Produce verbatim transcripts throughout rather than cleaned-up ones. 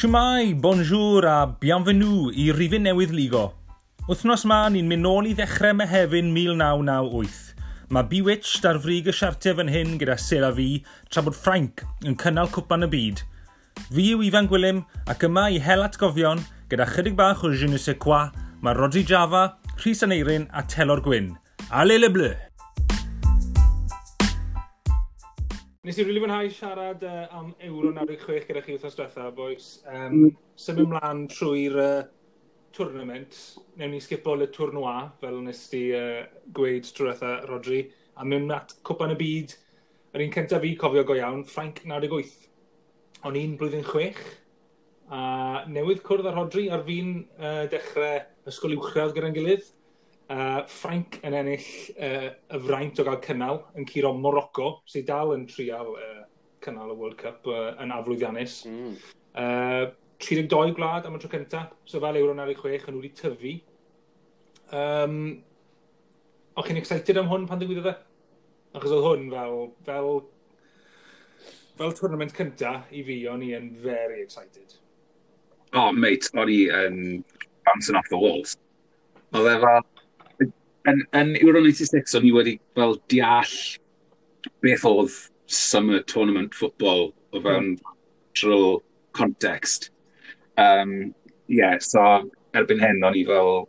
Shwmae, bonjour a bienvenue i rifyn newydd Ligo. Wythnos ma, ni'n mynd nôl i ddechrau Mehefin mil naw naw wyth. Mae Bewitched ar frig y siartiau fan hyn gyda C'est la vie, tra bod Ffrainc yn cynnal Cwpan y Byd. Fi yw Ifan Gwilym ac yma i hel atgofion gyda chydig bach o je ne sais quoi, mae Rodri Java, Rhys Aneirin a Telor Gwyn. Allez les bleus! Nes i rili fwynhau siarad uh, am Euro naw deg chwech gyda chi wythnos diwetha, boys. Um, mm. Symud mlaen trwy'r uh, tournament, newn ni sgipo le tournoi, fel nes ti uh, gweud trwy diwetha, Rodri, a mynd at Cwpan y Byd. Yr un cyntaf fi cofio go iawn, Ffrainc naw deg wyth. O'n i'n blwyddyn chwech, a newydd cwrdd â Rodri ar fin uh, dechrau ysgol uwchradd gyda'n gilydd. Uh, Ffrainc yn ennill uh, y fraint o gael cynnal yn curo Morocco, sydd dal yn trial uh, cynnal y World Cup uh, yn aflwyddiannus. Mm. Uh, tri deg dau gwlad am y tro cyntaf, so fel Euro naw deg chwech, yn nhw wedi tyfu. Um, o'ch chi'n excited am hwn pan ddigwyddodd e? Achos oedd hwn fel, fel, fel tournament cynta i fi, o'n i yn very excited. Oh, mate, o'n i yn bouncing off the walls. Oedd e fel... Yn, yn Euro naw chwech, o'n i wedi fel deall beth oedd summer tournament football o fewn mm. drill context. Um, yeah, so erbyn hyn, o'n i fel...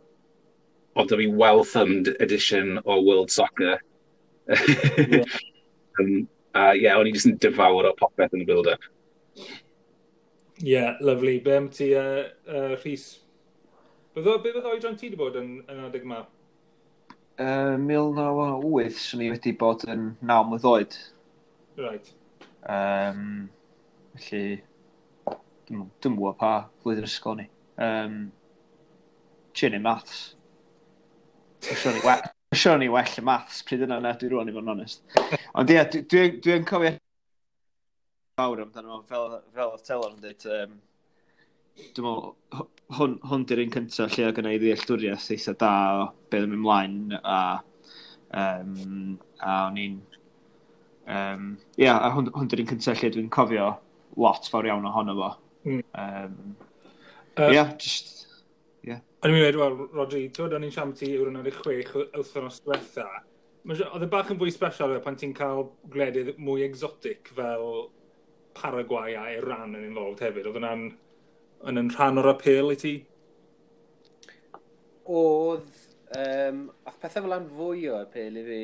Oedd fi well-thumbed edition o World Soccer. Yeah. um, uh, yeah, o'n i jyst yn devour o popeth yn y build-up. Yeah, lovely. Be am ti, uh, uh, Rhys? Be be fydd oedran ti wedi bod yn, yn adeg yma? Uh, mil naw wyth, swn i wedi bod yn naw mlwydd oed. Right. Um, felly, dwi'n dwi'n gwybod pa flwyddyn ysgol ni. Um, Trio neud maths. Dwi'n siŵr ni we- dwi'n siŵr ni well y maths pryd yna na dwi rwan, i fod yn onest. Ond ie, dwi- dwi- dwi'n cofio fawr amdano fo, fel, fel oedd Telor yn dweud. Um, dwi'n meddwl, hw- hwn, hwn di'r un cyntaf lle oedd gynna i ddealltwriaeth eitha da o beth yn mynd ymlaen a, um, a o'n i'n um, ia, a hwn, hwn di'r un cyntaf lle dwi'n cofio lot fawr iawn ohono fo. Mm. Um, Yy, Ia, just, ie. O'n i'n mynd, wel, Rodri, ti'n o'n i'n siarad ti Euro naw deg chwech wythnos diwetha. Ma' si- Oedd e bach yn fwy special pan ti'n cael gwledydd mwy exotic fel Paraguay a Iran yn involved hefyd. Oedd hwnna'n yn yn rhan o'r apêl i ti? Oedd, um, oedd pethau fel yna'n fwy o apêl i fi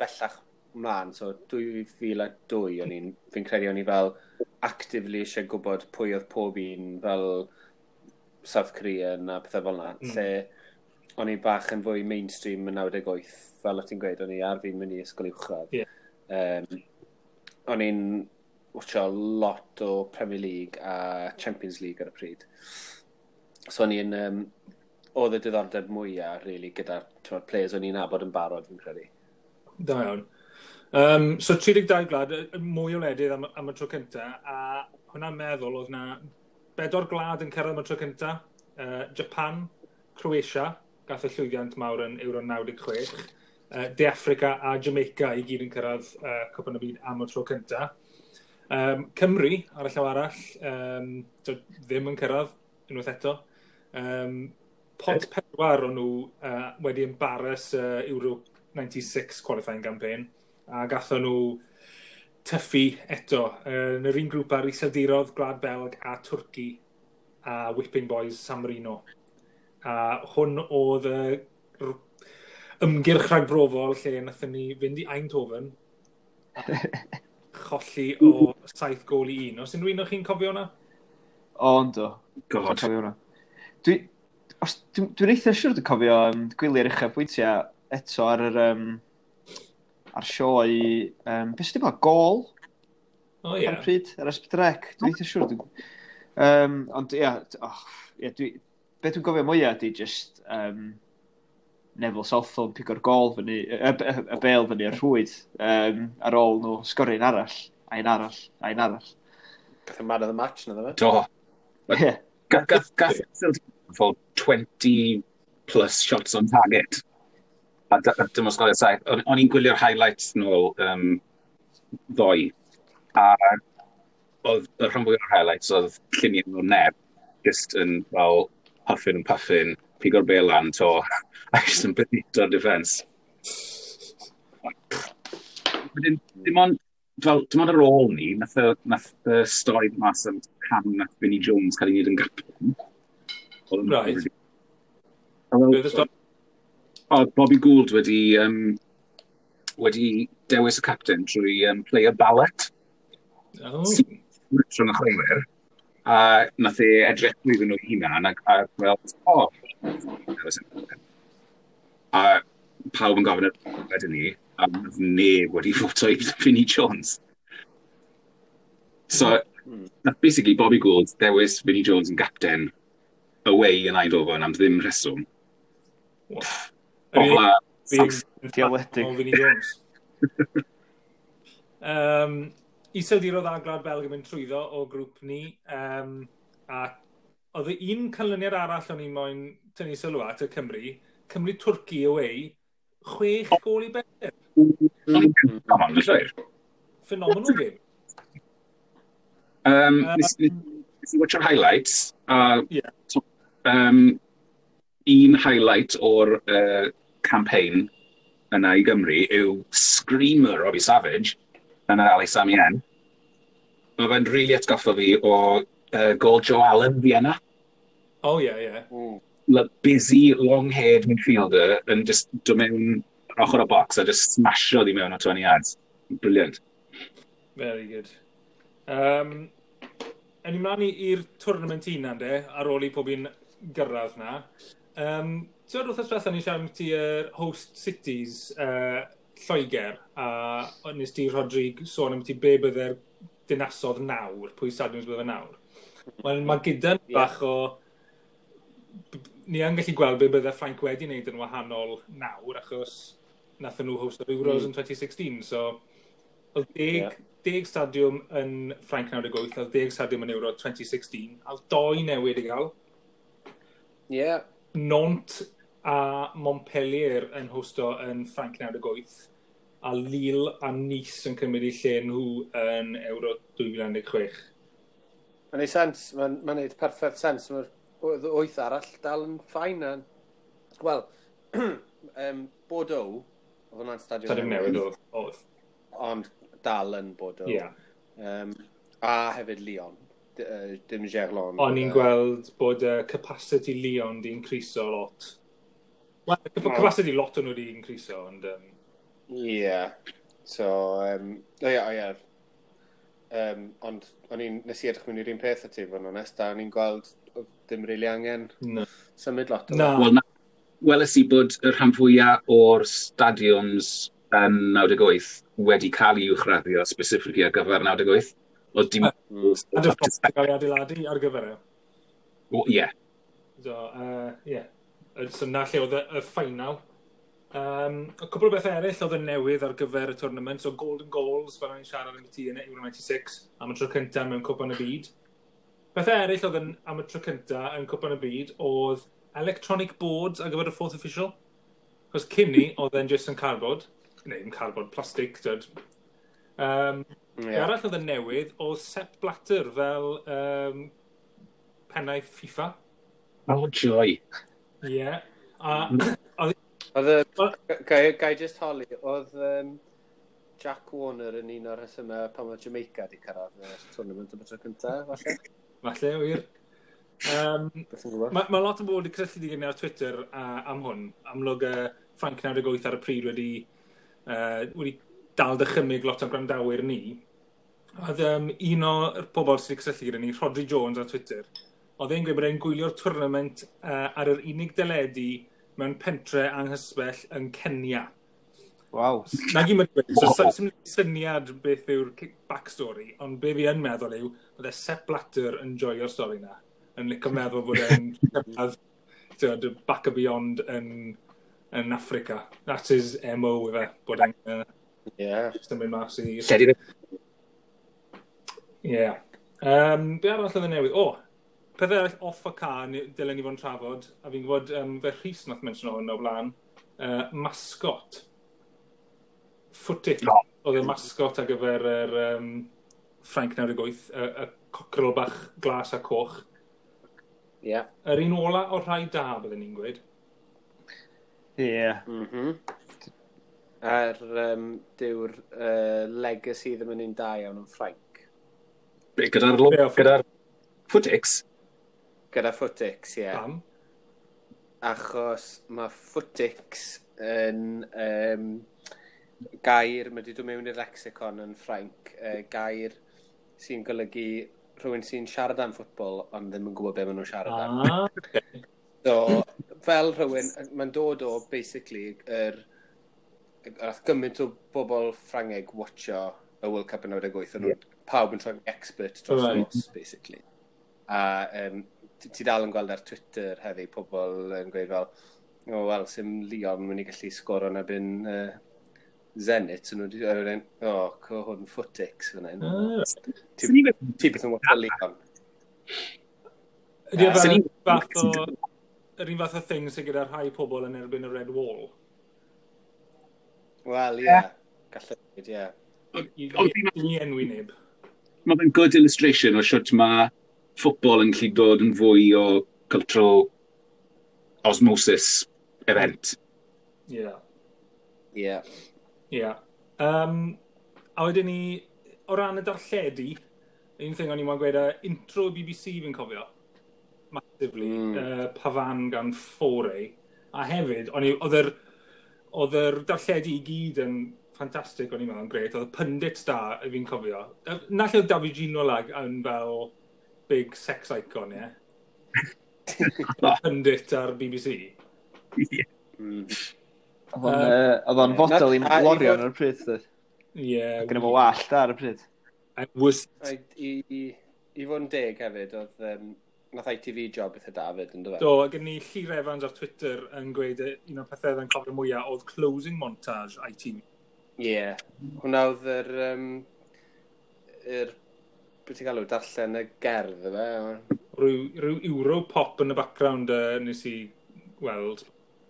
bellach mlaen, so dwy fil a dau o'n i'n, fi'n credu o'n i fel actively eisiau gwybod pwy oedd pob un fel South Korean a pethau fel yna, mm. lle o'n i bach yn fwy mainstream yn naw deg wyth, fel o ti'n gweud, o'n i ar fi'n mynd i ysgol uwchradd. Ie. Um, o'n i'n watcho lot o Premier League a Champions League ar y pryd. So o'n i'n, um, oedd y diddordeb mwyaf, really, gyda'r, t'mod, players o'n i'n nabod yn barod, fi'n credu. Da iawn. Um, so tri deg dau gwlad, y- y mwy o wledydd am, am y tro cynta, a hwnna'n meddwl oedd na bedwar gwlad yn cyrraedd am y tro cynta. Uh, Japan, Croatia, gath y llwyddiant mawr yn Euro naw deg chwech, uh, De Affrica a Jamaica i gyd yn cyrraedd uh, Cwpan y Byd am y tro cynta. Um, Cymru, ar y llaw arall, um, so, ddim yn cyrraedd unwaith eto. Um, pot pedwar o'n nhw uh, wedi embarrass uh, Euro naw chwech qualifying campaign, a gathon nhw tyffu eto. Uh, yn yr un grŵp ar Iseldiroedd, Gwlad Belg a Twrci a Whipping Boys San Marino. A hwn oedd y r- ymgyrch rhagbrofol lle nathon ni fynd i Eindhoven a cholli o saith gol i un. Os unrhyw un o chi'n cofio hwnna? O, yndw. God. Dwi'n cofio hwnna. Dwi, os, dwi'n dwi eitha siŵr dwi'n cofio um, gwylio'r uchafbwyntiau eto ar yr um, ar sioe, um, beth sydd wedi bod, Gol? O ie. Ar y pryd, ar S pedwar C. Dwi'n eitha siŵr. Dwi'n, um, ond ia, oh, ia, dwi, beth dwi'n gofio mwyaf ydy just um, Neville Southall yn pigo'r gol fyny, y, y, y bêl fyny ar rhwyd um, ar ôl nhw sgorio un arall, a un arall, a un arall. Gath y man of the match na, ddo fe? Do. Ie. Gath, gath, gath fel twenty plus shots on target. A dy- a dim ond sgorio saith. O'n o'n i'n gwylio'r highlights nôl um, ddoe. A oedd y rhan fwyaf o'r highlights oedd lluniau o Neb. Just yn fel huffing and puffing, pigo'r bel lan to, a just yn byddo'r defence. Wedyn, dim ond, fel, dim ond ar ôl ni, nath y, nath y stori mas am pam nath Vinnie Jones cael ei wneud yn gapten. Oedd yn- Right. A fel- Beth y stori? O, Bobby Gould wedi, um, wedi dewis y captain trwy um, player ballot Oh. rhwng y chwaraewyr. A nath e edrych drwyddyn nhw hunan a, a gweld, o, dewis y captain. A pawb yn gofyn wedyn ni, a nath neb wedi voto i Vinnie Jones. So, Hmm. nath basically Bobby Gould dewis Vinnie Jones yn captain away yn Eindhoven am ddim rheswm. Pobla, Diawledig. O Vinnie Jones. um, Iseldiroedd a Gwlad Belg yn mynd trwyddo o grŵp ni. Um, a oedd y un canlyniad arall o'n i moyn tynnu sylw at y Cymru, Cymru Twrci away, chwech gol i bedair. Come on, llwyr. Phenomenal game. Um, Um, nes, nes i watcho'r highlights, a Ie. so, um, un highlight o'r uh, campaign yna i Gymru yw Screamer Robbie Savage yn yr Ali Sami Yen. Mae fe'n really atgoffa fi o uh, gol Joe Allen Vienna. Oh, ie, ie. Mm. La busy, long-haired midfielder yn just dod mewn ochr y box a just smasho di mewn o twenty yards. Brilliant. Very good. Um, Yn i mlaen i- i'r tournament hunan de, ar ôl i pob un gyrraedd na. Um, Ti'n gwybod wythnos diwethaf ni'n siarad am ti yr host cities uh, Lloegr, a nes ti, Rodri, sôn am ti be bydde'r dinasodd nawr, pwy stadiwms bydde nawr. Wel, mae gyda ni Ie. bach o... Ni yn gallu gweld be bydde Ffrainc wedi wneud yn wahanol nawr, achos nathon nhw host yr Euros Mm. yn twenty sixteen, so oedd deg, Ie. deg stadiwm yn Ffrainc naw deg wyth, oedd deg stadiwm yn Euro twenty sixteen, a oedd doi newid i gael. Ie. Nantes a Montpellier yn hosto yn Ffrainc naw deg wyth, a Lille a Nice yn cymryd eu lle nhw yn Euro dwy fil un deg chwech. Mae'n neud sens, mae'n ma neud perffaith sens. Mae'r oedd wyth arall dal yn fine. A... Wel, um, Bordeaux, oedd hwnna'n stadiwm Stadiwm newydd oedd. oedd. Ond dal yn Bordeaux. Ie. Um, a hefyd Lyon. D uh, dim Gerland. O'n i'n gweld bod uh, capacity Lyon di increaso lot. Wel, capacity lot o'n nhw di increaso, ond... Um, Ie. Yeah. So, um, o ie, o ie. Um, ond o'n i'n, nes i edrych mewn i'r un peth â ti, fod yn onest, a o'n i'n gweld oedd dim really angen no. symud lot o Na. Wel, na, weles i bod y rhan fwyaf o'r stadiwms yn naw deg wyth wedi cael ei uwchraddio specifically ar gyfer naw deg wyth. Oedd dim Mm. Stadiwm Ffrainc yn cael ei adeiladu ar gyfer e. Wel, ie. So, uh, yeah. So na lle oedd y, y final. Um, y cwpl o bethau eraill oedd yn newydd ar gyfer y tournament, so Golden Goals, fel o'n i'n siarad am y ti yn Euro naw saith, am y tro cyntaf mewn Cwpan y Byd. Bethau eraill oedd yn, am y tro cyntaf yn Cwpan y Byd oedd electronic boards ar gyfer y fourth official. Cos cyn ni, oedd e'n just yn cardboard. Neu, yn cardboard, plastic, dyd. Um, Ie. yeah. Arall oedd yn newydd oedd Sepp Blatter fel um, pennaeth FIFA. Oh, joy. Ie. Yeah. A oedd Oedd y... Ga i ga i just holi, oedd um, Jack Warner yn un o'r rhesymau pan oedd Jamaica di cyrraedd y tournament am y tro cyntaf, falle? Falle, wir. Um, Beth yn gwybod? Mae ma lot o bobl wedi cysylltu gyda ni ar Twitter uh, am hwn. Amlwg uh, Ffrainc naw deg wyth ar y pryd wedi, uh, wedi dal dychymyg lot o gwrandawyr ni. Oedd um, un o'r pobl sydd wedi cysylltu gyda ni, Rodri Jones ar Twitter, oedd e'n gweud bod e'n gwylio'r tournament uh, ar yr unig deledu mewn pentre anghysbell yn Kenya. Waw. Na gyd mae'n dweud, so so- sim syniad beth yw'r ki- backstory, ond be fi yn meddwl yw, bydde Sepp Blatter yn joio'r stori na. Yn licio meddwl bod e'n cyrraedd, t'wod, back and beyond yn, yn Africa. That's his M O ife, bod e'n uh, Ie. symud mas i. Lle di'r Ie. Um, be arall oedd yn newydd? O, pethau arall off y car ni- dylen ni fod yn trafod, a fi'n gwybod um, fe Rhys nath mention hwn o blaen, uh, mascot. Footit. O. Oedd y mascot ar gyfer yr um, Ffrainc naw deg wyth, y, y cockerel bach glas a coch. Ie. Yeah. Yr un ola o'r rhai da, byddwn ni'n gweud. Ie. Yeah. Mm -hmm. A'r um, dyw'r uh, legacy ddim yn un da iawn yn Ffrainc. Be, Gyda'r lo- Be, o, gyda'r Footix? Gyda Footix, ie. Yeah. Pam? Achos mae Footix yn um, gair, mae wedi dod mewn i'r lexicon yn Ffrainc, uh, gair sy'n golygu rhywun sy'n siarad am ffwtbol ond ddim yn gwybod be maen nhw'n siarad am. Ah, okay. So, fel rhywun, mae'n dod o, basically, yr, yr gymaint o bobl Ffrangeg watcho y World Cup yn naw deg wyth, o'n nhw pawb yn troi'n expert dros Right. nos, basically. A um, ti ti dal yn gweld ar Twitter heddi pobl yn gweud fel, "O, oh, wel, sim Lyon mynd i gallu sgoro yn erbyn uh, Zenit," so nhw wedi dweud, "O, oh, co hwn Footix fan hyn." Ah. Ti Swn i'n gweud- ti beth yn watcho Lyon. Ydy o fel Swn i'n- fath o... Yr un fath o thing sydd gyda rhai pobl yn erbyn y Red Wall. Wel, ie. Yeah. Gallai dweud, ie. I, Ond i, fi'n- i enwi neb. Mae fe'n good illustration o siwt mae ffwtbol yn gallu dod yn fwy o cultural osmosis event. Ie. Yeah. Ie. Ie. Yeah. Um, a wedyn ni, o ran y darlledu, un thing o'n i'n moyn gweud, uh, intro B B C fi'n cofio. Massively. Mm. Mm. Uh, Pavane gan Fauré. A hefyd, o'n i, oedd yr, oedd yr darlledu i gyd yn ffantastig, o'n i'n meddwl, yn grêt. Oedd y pundits da, fi'n cofio. Yy, Na lle oedd David Ginola yn fel big sex icon, ie? Pundit ar B B C. Yeah. Mm. Oedd o'n, yy, oedd o'n fodel i Na- a i Lorion fod- ar y pryd, doedd. Ie. Gyda fo wallt ar y pryd. And was A I, i, i fod yn deg hefyd, oedd um, nath I T V job eitha da fyd, yn dweud. Do, gen ni Llyr Evans ar Twitter yn gweud yy, un o'r pethau oedd yn cofio mwyaf oedd closing montage I T V. Ie. Yeah. Hwna oedd yr... Um, yr beth ti'n galw, darllen y gerdd, efe? Rhyw, rhyw Euro pop yn y background uh, nes i weld.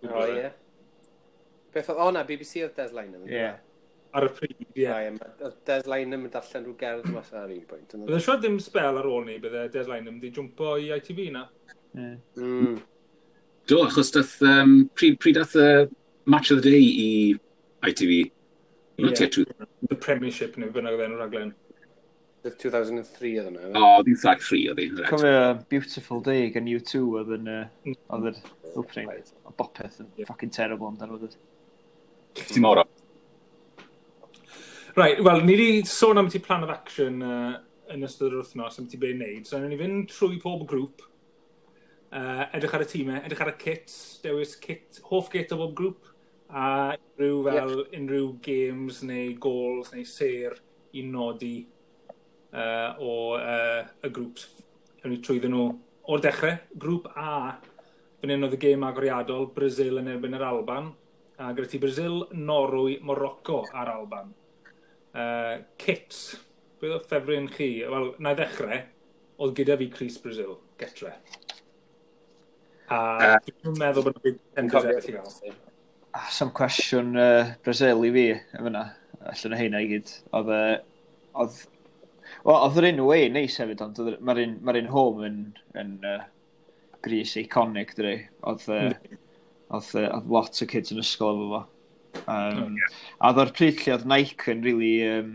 O, ie. Beth oedd, o na, B B C oedd Des Lynam. Ie. Ar y pryd, ie. Yeah. Oedd Des Lynam yn darllen rhyw gerdd mas ar un pwynt. Bydde siwr ddim spel ar ôl ni, bydde Des Lynam di jwmpo i I T V na. Ie. Mm. Do, achos dath, um, pryd, pryd dath y Match of the Day i I T V? Not Ie. yet two. The Premiership neu bynnag oedd enw'r raglen. Oedd two thousand three oedd hwnna. O, oh, dyn tri oedd hi. Reit. Cofio Beautiful Day gan U two oedd yn, uh, oedd yr opening. O bopeth yn Ie. fucking terrible amdano fo. Ti'n mor o. Right, wel, ni wedi sôn am ti plan of action uh, yn ystod yr wythnos, am ti be wneud. So, ni fynd trwy pob grŵp, uh, edrych ar y tîmau, edrych ar y kits, dewis kit, hoff kit o bob grŵp, a unrhyw fel, yeah. unrhyw games neu goals neu ser i nodi uh, o uh, y grŵps. Ewn ni trwyddyn nhw o'r dechrau. Grŵp A, fan hyn oedd y gêm agoriadol, Brazil yn erbyn yr Alban. A gyda ti Brazil, Norwy, Morocco a'r Alban. Uh, kits, beth oedd ffefryn chi? Wel, na i ddechrau, oedd gyda fi crys Brazil, getre. A Yy. dwi'n meddwl bod yna contenders eraill i gael. Ah, some cwestiwn uh, Brazil i fi, yn fyna. Allan o heina i gyd. Oedd, uh, oedd, wel, oedd yr un away neis hefyd, ond oedd- mae'r un, mae'r un home yn, yn uh, grys iconic, dydi. Oedd, uh, oedd, uh, oedd lot o kids yn ysgol efo fo. Um, A oedd o'r pryd lle oedd Nike yn really um,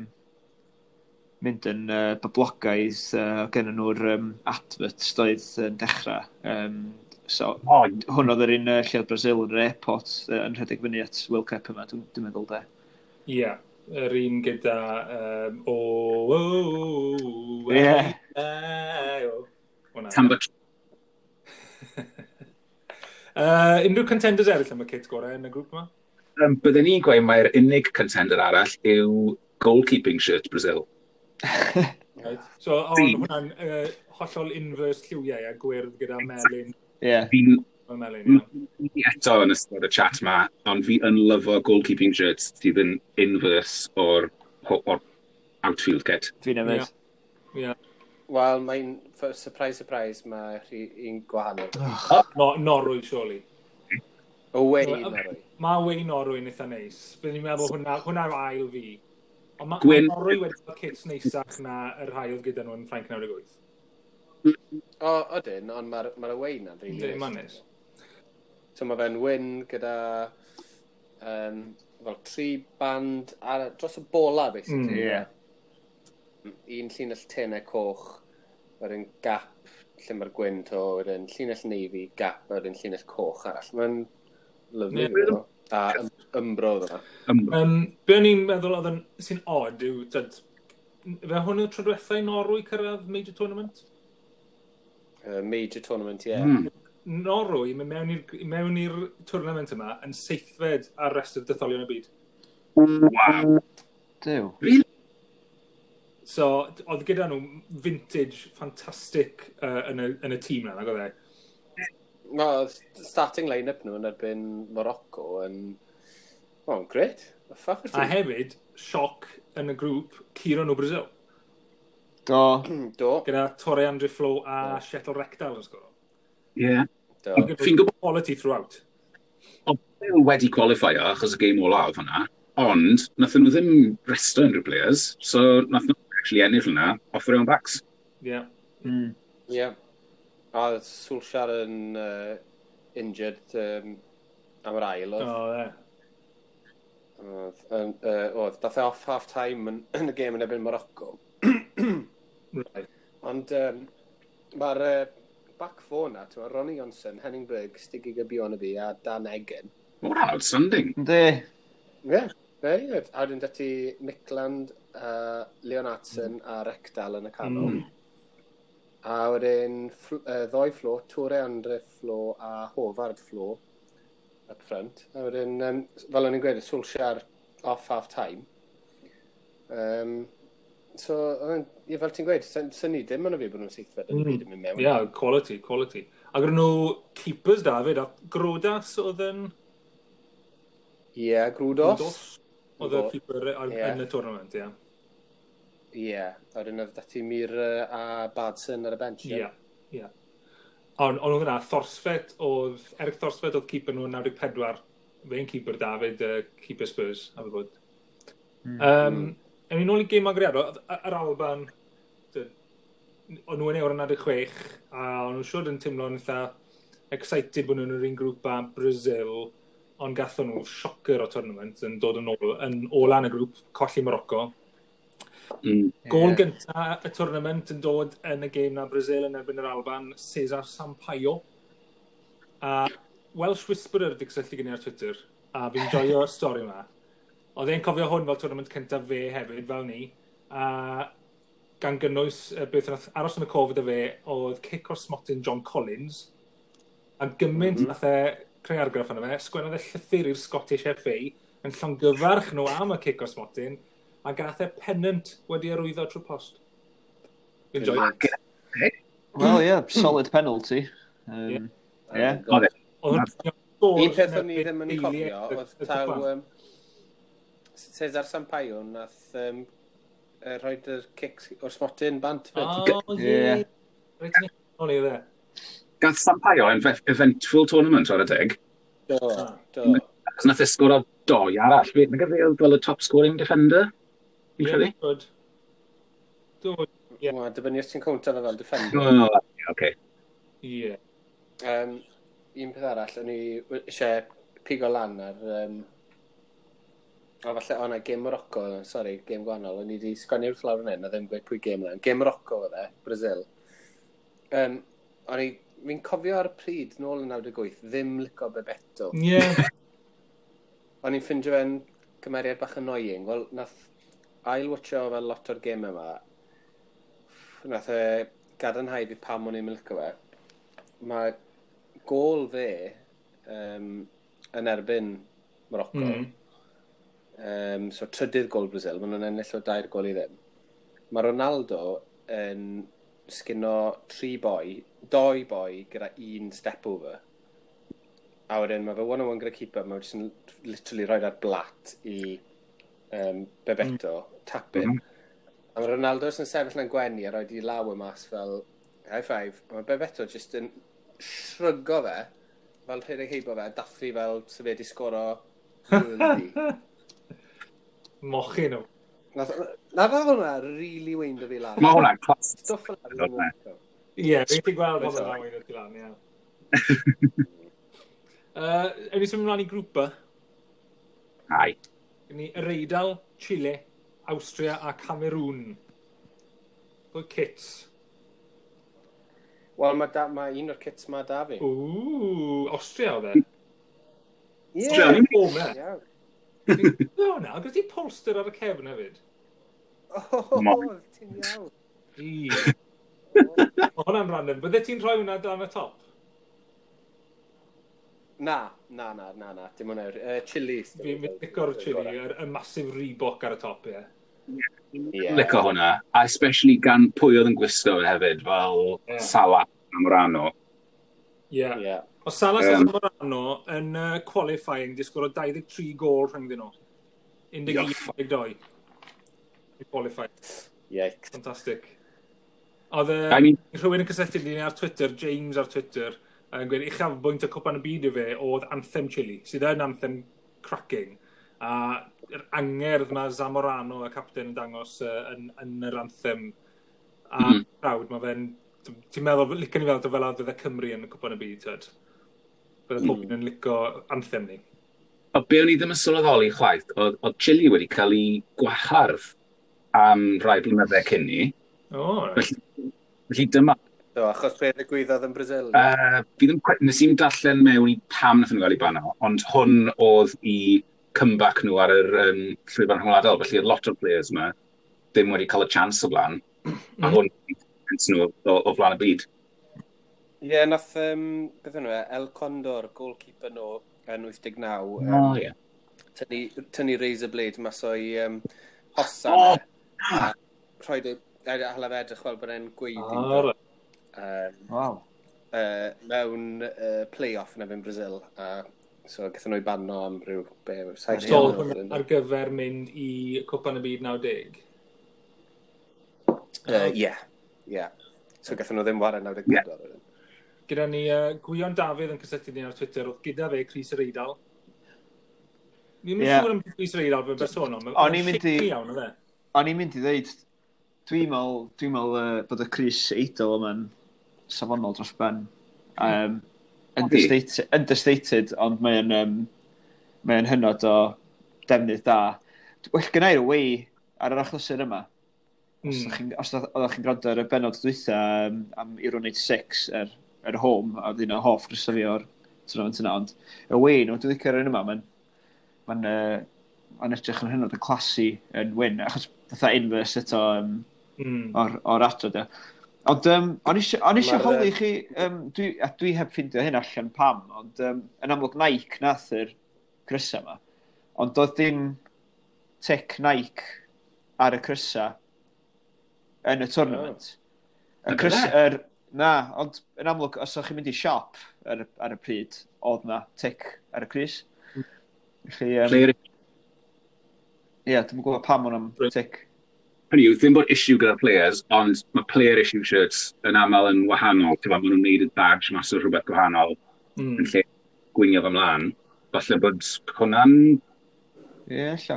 mynd yn uh, boblogaidd, uh, gen nhw'r um, adverts doedd yn dechrau. Um, so, O, hwn oedd yr un uh, lle oedd Brazil yn yr airport uh, yn rhedeg fyny at World Cup yma, dwi'n dwi meddwl de. Ie, yeah, yr un gyda... Um, o, o, o, Ie. e, o. Hwnna. Tamba Uh, unrhyw contenders eraill am y kit gorau yn y grŵp yma? Um, byddwn ni'n gweud mai'r unig contender arall yw goalkeeping shirt Brazil. Right. So, ond Fi. hwnna'n uh, hollol inverse lliwiau a gwyrdd gyda melyn. Ie. Yeah. Fi'n Melyn, ie. fi eto yn ystod y chat ma, ond fi yn lyfo goalkeeping shirts sydd yn inverse o'r, o'r outfield kit. Fi'n hefyd. Ie. Wel, mae'n, surprise, surprise, mae rhi- un gwahanol. No, Norwy, surely. Away, Wel, Norwy. Mae away Norwy yn eitha neis. Byddwn i'n meddwl hwnna, hwnna yw ail fi. Ond mae Gwyn- ma Norwy wedi cael kits neisach na y rhai oedd gyda nhw yn Ffrainc naw deg wyth. O, odyn, ond mae'r ma away na'n really Yndi, ma'n neis. So mae fe'n wyn gyda um, fel tri band ar, dros y bola, basically. Mm. Ie. Un llinell tenau coch, wedyn gap lle mae'r gwyn to, wedyn llinell navy, gap, wedyn llinell coch arall. Mae'n lyfli. Ie. Yeah. A ym- Umbro oedd yna. Umbro. Um, be o'n i'n meddwl oedd yn, sy'n odd yw, tyd, fe hwn yw'r tro diwetha i Norwy cyrraedd major tournament? Uh, major tournament, ie. Yeah. Mm. Norwy, mynd mewn i'r mewn i'r tournament yma yn seithfed ar restr detholion y byd. Wow. Duw. Really? So, oedd gyda nhw vintage fantastic uh, yn, y, yn y tîm na, nag oedd e? Wel, starting line-up nhw yn erbyn Morocco yn... Oh, great. The fuck A hefyd, sioc yn y grŵp, curo nhw Brazil. Do. Do. Gyda Tore Andre Flo a Kjetil Rekdal yn sgoro. Yeah. Do. Fi'n gwybod Quality throughout. oedd Bale wedi qualify-o achos y game ola oedd hwnna, ond nathon nhw ddim resto unrhyw players, so nath nhw actually ennill hwnna off their own backs. Yeah. Mm. Ie. A oedd Solskjaer yn uh, injured um, am yr ail oedd. O, ie. Oedd, yym, yy, oedd, dath e off half time yn, yn y gêm yn erbyn Morocco. Right. Ond um, mae'r uh, back four na, ti'n Ronny Johnsen, Henning Berg, Stig Inge Bjornebye a Dan Eggen. What outstanding. Yndi. Ie, yeah, very good. A wedyn dati Mykland, uh, Leonhardsen a Rekdal yn y canol. Mm. A wedyn ffl- uh, ddoi Flo, Tore Andre Flo a Håvard Flo up front. A wedyn, um, fel o'n i'n gweud, Solskjaer off half time. Um, so, oedd e'n- ie, fel ti'n gweud, syn- syni dim yn y fi bod nhw'n seithfed yn y Mm. byd yn mynd mewn. Yeah, quality, quality. A gyda nhw keepers da hefyd, a Grodås oedd yn... Ie, yeah, Grodås. Grodås Oedd y keeper ar- Ie. yn y tournament, ie. Ie, yeah. a wedyn oedd dati Myhre a Baardsen ar y bench. Ie, ie. Ond ond oedd yna, Thorstvedt oedd, Erik Thorstvedt oedd keeper nhw yn naw deg pedwar. Fe'n keeper David, uh, keeper Spurs, a fe bod. Mm. Um, Ewn ni nôl i gêm agoriadol, oedd yr Alban, dy- o'n nhw yn Euro naw deg chwech, a o'n nhw'n siŵr yn teimlo'n eitha excited bod nhw'n yr un grŵp â Brazil, ond gathon nhw shocker o tournament yn dod yn ôl, yn ola yn y grŵp, colli Morocco. Mm. Gôl Ie. gynta y tournament yn dod yn y gêm na Brazil yn erbyn yr Alban, Cesar Sampaio. A Welsh Whisperer di cysylltu gen i ar Twitter, a fi'n joio'r stori yma. Oedd e'n cofio hwn fel tournament cyntaf fe hefyd, fel ni, a gan gynnwys uh, beth nath aros yn y cof gyda fe oedd cic o'r smotyn John Collins, a gymaint mm -hmm. nath e creu argraff arno fe, sgwennodd e llythyr i'r Scottish F A yn llongyfarch nhw am y cic o'r smotyn, a gath e pennant wedi arwyddo trwy post. Fi'n joio. Wel, ie, yeah, solid penalty. Um, Ie. Oedd e. Oedd hwnna'n gôl Un peth o'n i ddim yn eiliad cofio y- oedd y taw cwpan. um, Cesar Sampaio nath um, uh, rhoid yr cic o'r smotyn bant fyd. O, ie. Ie. Reit yn ôl i dde. Gath Sampaio yn eventful tournament ar y deg. Do, do. Achos nath e sgoro doi arall. Fe, nag fe oedd fel y top scoring defender? Fi'n credu? Good. Do, Ie. Wel, dibynnu os ti'n cownto fe fel defender. Oh, ie, okay. Ie. Um, un peth arall, o'n i eisiau pigo lan ar... Um, o, falle, o na, gêm Morocco, sori, gêm gwahanol. O'n i wedi sgwennu wrth lawr yn hyn, a ddim gweud pwy gêm lan. Gêm Morocco oedd e, Brazil. Um, o'n i, fi'n cofio ar y pryd, nôl yn naw deg wyth, ddim lico Bebeto. Ie. O'n i'n ffindio fe'n cymeriad bach annoying. Wel, nath ail-watcho fel lot o'r gêm yma, nath e gadarnhau fi pam o'n i'n licio fe. Mae gôl fe um, yn erbyn Morocco. Mm. Um, so trydydd gôl Brazil, maen nhw'n ennill o dair gôl i ddim. Mae Ronaldo yn sgino tri boi, doi boi gyda un step over. A wedyn mae fe one on one gyda keeper, mae fe jyst yn literally rhoi ar blat i um, Bebeto, mm. tap in. Mm. A mae Ronaldo jyst yn sefyll yn gwenu a rhoi di law y mas fel high five. A mae Bebeto jyst yn shrugo fe, fel rhedeg heibo fe, a dathlu fel se fe wedi sgoro worldie. Mochyn nhw. Nath, nath hwnna really weindo fi lan. Mae hwnna'n class. Stwff fel 'na fi ddim yn licio. Ie, fi'n gallu gweld pobl yn awydd tu lan, ie. Uh, Ewn ni symud ymlaen i grŵp B. Ai. Ni Yr Eidal, Chile, Austria a Cameroon. Pwy kits? Wel, mae da, ma un o'r kits ma da fi. Ww, Austria oedd e. Ie. O, me. Iawn. No, na, gyda ti polster ar y cefn hefyd. O, Mo- ti'n iawn. I. Mae hwnna'n random. Bydde ti'n rhoi hwnna dan y top? Na, na, na, na, na, dim hwnna. Uh, chili. Fi'n fi'n lico'r chili, yr, y massive Reebok ar y top, ie. Ie. Lico hwnna. A especially gan pwy oedd yn gwisgo fe hefyd, fel Ie. Salah Zamorano. Ie. Ie. O Salah Yym. Zamorano yn uh, qualifying di sgoro dau ddeg tri gol rhyngddyn nhw. un deg un un deg dau. I qualify. Yikes. Fantastic. Oedd e, I mean, rhywun yn cysylltu ni ar Twitter, James ar Twitter, yn gweud uchafbwynt y Cwpan y Byd i fe oedd Anthem Chile, sydd yn anthem cracking. A yr angerdd mae Zamorano, y captain, yn dangos uh, yn, yn yr anthem a mm. Mhm. crowd, mae fe'n... Ti'n meddwl, licen i feddwl fel oedd fydde Cymru yn y Cwpan y Byd, tyd. Bydde pob un yn lico anthem ni. O be o'n i ddim yn sylweddoli chwaith, oedd, oedd Chile wedi cael ei gwahardd am rai blynydde cyn ni. O, oh, right. Felly, felly dyma, So, achos beth ddigwyddodd yn Brazil? uh, fi ddim, cweit- nes i'm darllen mewn i pam nath nhw gael ei bano, ond hwn oedd i comeback nhw ar yr um, llwyfan rhyngwladol, felly oedd lot o'r players yma ddim wedi cael y chance o blaen, a hwn chance nhw o, o flaen y byd. Ie, yeah, nath, um, beth enw e, El Condor, goalkeeper nhw yn wyth deg naw, um, O, ie. tynnu, tynnu razor blade mas o'i um, hosan. O, e, a rhoi e, a hala fe edrych fel bod e'n gweiddi. Ah, right. Um, Waw. uh, mewn uh, play-off yn erbyn Brazil. A so gathon nhw i banno am ryw, be, saith So, mlynedd hwnna wedyn. ar gyfer mynd i Cwpan y Byd naw deg. Yy, Ie, ie. So gathon nhw ddim ware naw deg pedwar wedyn. Gyda ni uh, Gwion Dafydd yn cysylltu ni ar Twitter, oedd gyda fe crys yr Eidal. Ni'n Ie. yeah. siŵr am crys yr Eidal fe'n bersonol. Mae'n O'n i'n mynd i- iawn, oedd e? O'n i'n mynd i ddeud, dwi'n meddwl, dwi'n meddwl uh, bod y crys Eidal yma'n safonol dros ben. Um, understated, understated, ond mae'n um, mae'n hynod o defnydd da. Well, gynna i'r away ar yr achlysur yma. Os Mm. mm. chi'n os oeddech chi'n gwrando ar y benod dwytha um, am Euro naw six yr, yr home, a oedd un o hoff grysa fi o'r tournament yna, ond away nhw, dwi'n licio'r un yma, mae'n mae'n uh, mae'n edrych yn hynod o classy yn wyn, achos fatha inverse eto um, Mm. o'r, o'r adro, de. Ond um, o'n i o'n i eisiau Ma'r, holi yy, chi, um, dwi, a dwi heb ffindio hyn allan pam, ond um, yn amlwg Nike nath yr crysa yma. Ond doedd dim tic Nike ar y crysa yn y tournament. Y Na crys, fe? yr, na, ond yn amlwg, os o'ch chi'n mynd i siop ar, y- ar y pryd, oedd na tic ar y crys. Felly, um, Player ie, dwi'n gwybod pam o'n am Reit. tic. Hynny yw, ddim bod issue gyda'r players, ond mae player issue shirts yn aml yn wahanol. Ti'n gwbod, maen nhw'n neud y badge mas o rhywbeth gwahanol Mm. yn lle gwinio fo ymlaen. Falle bod hwnna'n Ie, ella.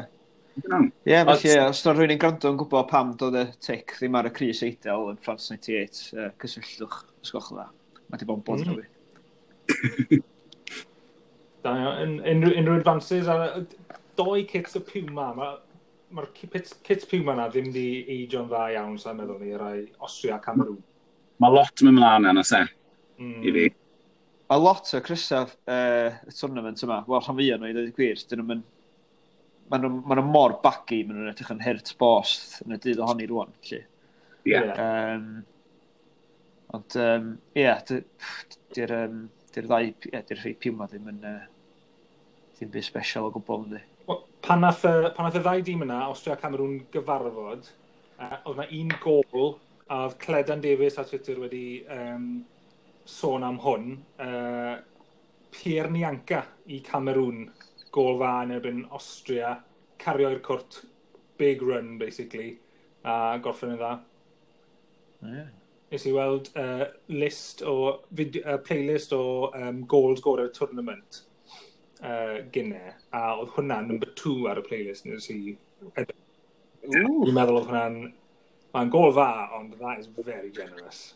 I don't know. Ie, yeah, felly, os yna rhywun yn gwrando yn gwybod pam doedd y tic ddim ar y crys Eidal yn France naw wyth, uh, cysylltwch, os gwelwch yn dda. Mae di bod yn bothro Mm. fi. Da iawn. Unrhyw, unrhyw advances ar doi kits o Puma. Mae'r ma kits, kits Puma na ddim di ageio'n dda iawn, sa'n meddwl ni, rai Austria a Cameroon. Mae lot yn mynd mlaen yna, se, Mm. i fi. Mae lot o crysa uh, y tournament yma, wel, rhan fwyaf nhw i ddweud y gwir, dyn nhw'n ma nhw, ma nhw mor baggy, maen nhw'n edrych yn hurt bost yn y dydd ohoni rwan, felly. Ie. Ie. Um, ond, um, ie, yeah, di'r um, di'r ddau, ie, di'r rhai Puma ddim yn, uh, ddim byd special o gwbl, yndi. Wel, Pan nath, y- pan nath y ddau dîm yna, Austria a Cameroon, gyfarfod, uh, oedd na un gol, a oedd Cledan Davies ar Twitter wedi um, sôn am hwn. Uh, Pierre Nianka i Cameroon, gol dda yn erbyn Austria, cario i'r cwrt, big run, basically, a gorffen yn dda. Yeah. Nes i weld uh, list o, video, uh, playlist o um, goals gorau'r tournament uh, gynne, a oedd hwnna number two ar y playlist nes i edrych. Ww. Dwi'n meddwl oedd hwnna'n... Mae'n gol dda, ond that is very generous.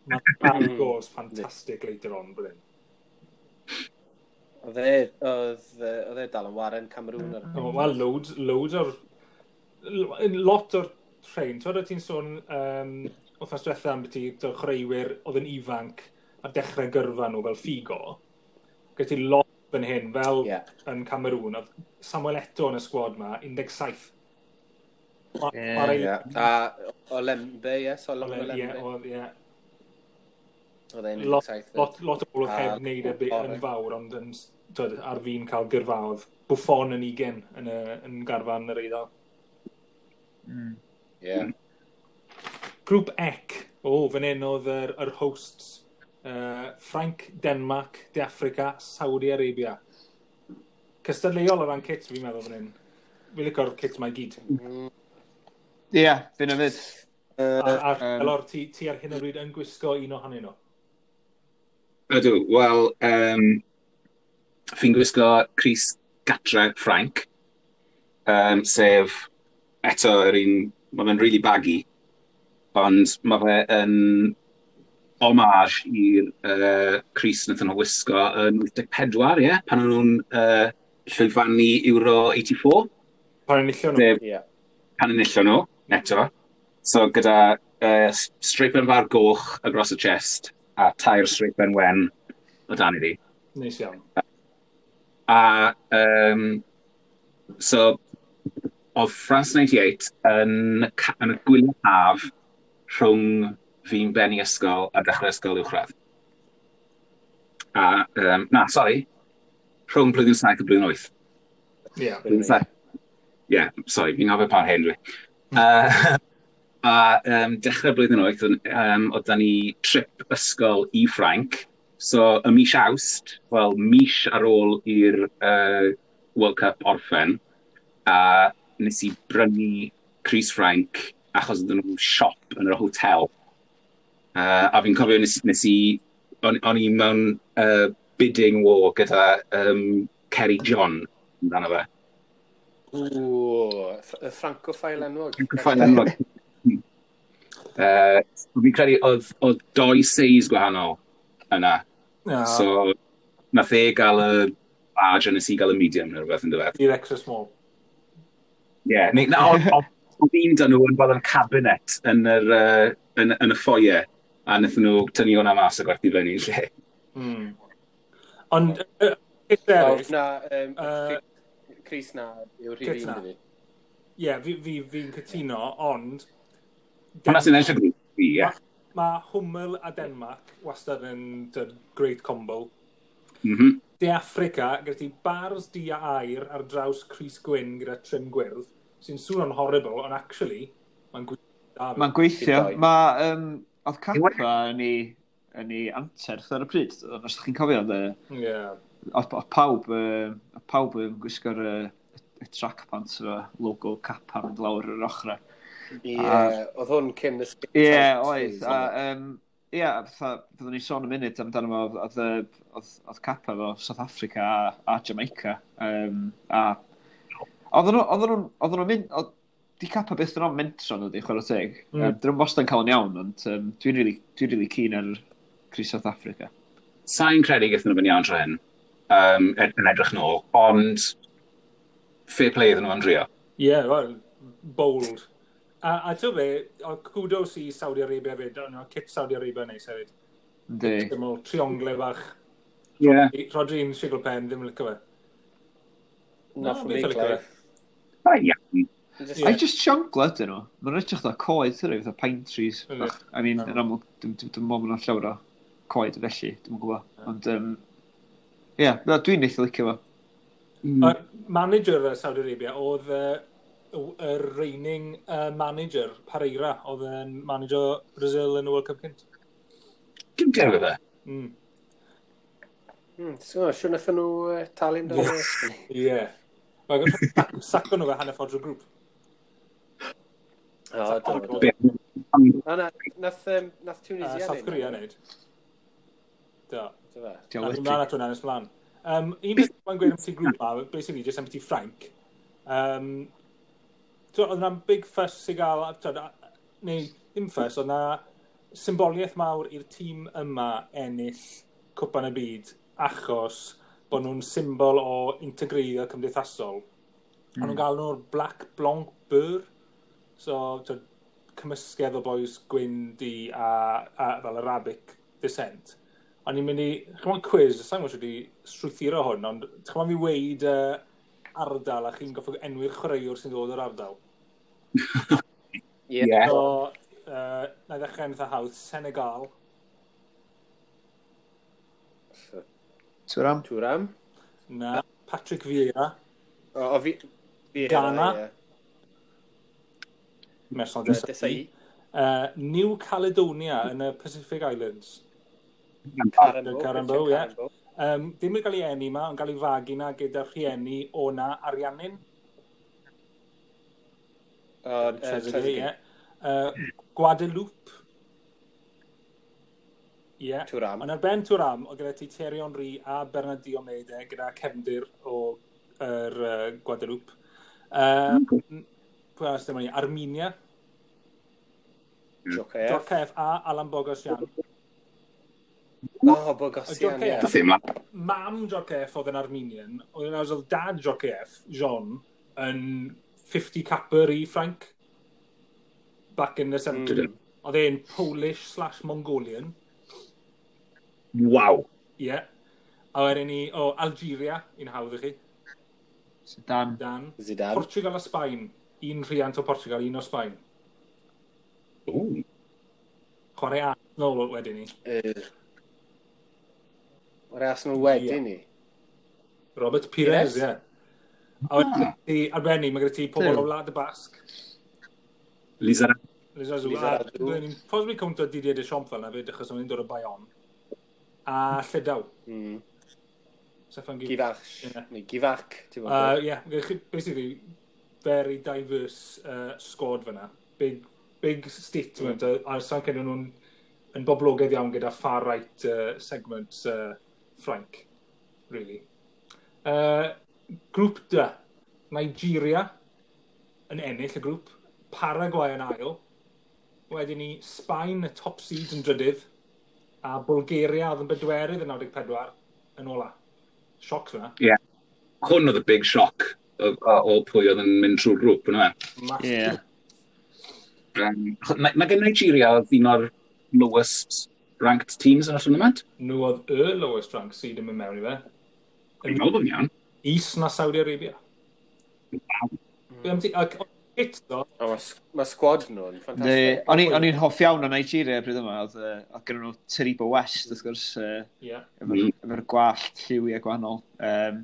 Mae goals fantastic later on, bydden. Oedd e, oedd, oedd e dal yn waren Cameroon. Ar... Oh, Wel, loads, loads o'r... Lot o'r rhain. Twyd o ti'n sôn um, wythnos diwetha am beth i chwaraewyr oedd yn ifanc a dechrau gyrfa nhw fel Figo. Gyda ti lot fan hyn, fel Ie. yn Cameroon, oedd Samuel Eto'o yn y sgwad ma, un deg saith. Ma- Ie. ma' Ie. A Olembe, ie, Solomon Ie, Olembe. oedd, ie. Oedd e'n Lot, un deg saith. lot, lot o bobl oedd A- heb wneud e be- yn Ore. fawr, ond yn, twyd, ar fin cael gyrfaodd. Buffon yn ugain yn, y, yn garfan yr Eidal. Mm. Ie. Grŵp C. O, fan hyn oedd yr, yr hosts. Uh, Ffrainc, Denmark, De Africa, Saudi Arabia. Cystadleuol o ran kit, fi'n meddwl fan hyn. Fi'n licio'r kit mae gyd. Ie, yeah, fi'n hefyd. A, a Yym. Elor, ti, ti ar hyn o bryd yn gwisgo un ohonyn nhw. Ydw, wel, um, fi'n gwisgo crys gatre Ffrainc, um, sef eto yr un, mae fe'n really baggy, ond mae fe yn homage i'r uh, crys wnaethon nhw wisgo yn wyth deg pedwar, ie, pan o'n nhw'n uh, llwyfannu Euro wyth deg pedwar. Pan enillon nhw. Sef Ie. pan enillon nhw, eto. So gyda uh, streipen fawr goch across y chest a tair streipen wen o dan iddi. Neis iawn. A um, so oedd France wyth deg wyth yn, ca- yn y gwyliau haf rhwng fi'n bennu ysgol a dechrau ysgol uwchradd. A, um, na, sori, rhwng blwyddyn saith a blwyddyn wyth. Ie. Blwyddyn saith. Ie, yeah, sorry, fi'n gofio pa hen dwi. Uh, a um, dechrau blwyddyn wyth, um, oedd da ni trip ysgol i Ffrainc. So, y mis Awst, wel, mis ar ôl i'r uh, World Cup orffen, a nes i brynu crys Ffrainc achos oedden nhw'n siop yn yr hotel. Uh, a fi'n cofio nes, nes i, o'n, o'n i mewn uh, bidding war gyda um, Kerry John amdano fe. Ww, y Francophile enwog. Francophile enwog. Uh, fi'n credu oedd, oedd doi seis gwahanol yna. Yeah. So, nath e gael y large a nes i gael y medium neu rhywbeth yn dweud. I'r extra small. Ie, yeah, neu, na, oedd oedd un dyn nhw yn fel yn cabinet yn, yr, uh, yn, yn y foyer, a wnaethon nhw tynnu hwnna mas a gwerthu fyny yn lle. Mm. Ond, uh, kit eraill, Na, um, Yy, crys na yw'r Kit rhif un na. i fi. Ie, fi, fi, fi'n cytuno, ond Hwnna sy'n ennill y grŵp fi, ie. Mae Hummel a Denmark wastad yn dyd, great combo. Mm -hmm. De Africa, gyda ti bars du a aur ar draws crys gwyn gyda trim gwyrdd, sy'n swnio'n horrible, ond actually, mae'n gweithio da. Mae'n gweithio. Dau. Mae, um, oedd Kappa yn ei, yn ei anterth ar y pryd. Os ydych chi'n cofio, oedd, yy, Ie. oedd, oedd pawb, yy, oedd pawb yn gwisgo'r yy, y track pants efo logo Kappa mynd lawr yr ochrau. Ie, oedd hwn cyn y skin Ie, tight oedd. phase, A, oedd e? um, ie, fatha, fyddwn ni'n sôn y munud amdano fo, oedd, oedd, oedd, oedd Kappa efo South Africa a, a Jamaica. Um, a oedden nhw, oedden nhw'n, oedden nhw'n mynd, oedd, di Kappa byth yn o'n mentro nhw, di chwarae teg. Mm. Mm. Um, dyn nhw'n wastad yn cael yn iawn, ond um, dwi'n really, dwi'n really keen ar crys South Africa. Sa'n credu gaethon nhw fy'n iawn tro hyn, um, ed- yn edrych nôl, ond fair play iddyn nhw yn drio. Ie, well, bold. A, a ti'n be, o, kudos i Saudi Arabia hefyd, ond o, kit Saudi Arabia neis hefyd. Yndi. Dim ôl triongle bach. Ie. Yeah. Rodri'n sigl pen, ddim yn licio fe. Not for me, beth yn licio Clive. fe. Da iawn. Just- Ie. I just siongle ydyn nhw. Mae'n edrych fatha coed, ydyn nhw, fatha pine trees. Yndi. Bach. I mean, yn amlwg, dim dim- dim ond ma'n llawer o coed felly, dim yn gwybod. Ond, um, ie, yeah, dwi'n eitha licio fo. Mm. Uh, manager uh, Saudi Arabia oedd uh, y reigning uh, manager, Parreira, oedd yn manager Brazil yn y World Cup cynt. Dim dewi fe. Mm. Hmm, so, siwr wnaethon nhw uh, talu amdano fe? Ie. Yeah. Saco nhw fe hanner ffordd drwy'r grŵp. O, do, do. Be- O, na, nath, um, nath Uh, Tunisia South Korea wneud. Do. Do fe? Diolch. Na, ymlaen at hwnna nes mlaen. Um, un beth mae'n gweud am ti grŵp ma, basically just am ti Ffrainc. Um, so, oedd yna'n big fuss i gael, twyd, a- neu ddim fuss, oedd yna symboliaeth mawr i'r tîm yma ennill Cwpan y Byd achos bod nhw'n symbol o integreiddio cymdeithasol. Mm. O'n nhw'n gael nhw'r Black Blanc Beur, so t'od, cymysgedd o boys gwyn du a, a fel Arabic descent. O'n i'n mynd i, chymod quiz, sa'n gwybod wedi strwythuro hwn, ond chymod mi weid uh, ardal a chi'n goffo enwi'r chwaraewr sy'n dod o'r ardal. Ie. Ie. So, uh, na i ddechrau yn eitha hawdd, Senegal, So, Thuram? Thuram. na, Patrick Vieira, O, o fi... fi Ghana. Ie. Mesol Yy, Desailly, Desailly. uh, New Caledonia yn y Pacific Islands. Carambo. Carambo, Christian ie. Carambo. Um, ddim yn cael ei eni ma, ond cael ei fagu na gyda rhieni o na Ariannin. O, yy, Trezeguet, Trezeguet. ie. Uh, Guadeloupe. Ie. Yeah. Thuram. Ond ar ben Thuram, oedd gyda ti Thierry Henry a Bernard Diomede gyda cefndir o yr uh, Guadeloupe. Um, pwy arall dyma ni? Armenia, Djorkaeff. Djorkaeff a Alain Boghossian. O, Boghossian, ie. Djorkaeff. Ddim lan. Mam Djorkaeff oedd yn Armenian, oedd yn oedd dad Djorkaeff, Jean, yn fifty capper i Ffrainc. Back in the seventies. Mm. Oedd e'n Polish slash Mongolian. Waw. Ie. Yeah. A wedyn ni, o, Algeria, un hawdd i chi, Zidane. Dan. Zidane. Portugal a Sbaen. Un rhiant o Portugal, un o Sbaen. Ooh. Chwarae Arsenal wedyn ni. Yy. Mae'r Arsenal wedyn Ie. ni. Robert Pires, Pires? ie. A wedyn ti, ar ben ni, mae gyda ti pobl Duw. o Wlad y Basg. Lizarazu. Lizarazu. A Lizarazu. byddwn ni'n possibly cownto Didier Deschamps fel yna fyd, achos o'n i'n dod o Bayonne. A Llydaw. Mm. Stefan Guivarch. Guivarch. Ie. Neu Guivarch, ti'n Uh, gwybod. yeah, gyda chi basically very diverse uh, squad fyna. Big, big statement. Mm. A, a sa'n credu nhw'n yn boblogaidd iawn gyda far right uh, segments uh, Ffrainc, really. Uh, grŵp D, Nigeria yn ennill y grŵp, Paraguay yn ail, wedyn ni Sbaen y top seeds yn drydydd, a Bulgaria oedd yn bedwerydd yn naw deg pedwar yn ola. Sioc fyna. Ie. Hwn oedd y big shock o, o, o pwy oedd yn mynd trwy'r grŵp, yna. Massive. Ie. Um, mae, mae gen Nigeria oedd un o'r lowest ranked teams yn y tournament. Nhw oedd y lowest rank seed yn mynd mewn i fe. Fi'n meddwl bod yn iawn. Is na Saudi Arabia. Wow. Be am ti- ac it ddo, O, mae ma squad nhw'n Ne, ffantastig. O'n i- o'n i'n hoff iawn o Nigeria bryd yma, oedd yy, oedd gynnon nhw Taribo West, wrth gwrs, yy, ie. efo'r Mm. efo gwallt lliwiau gwahanol. Um,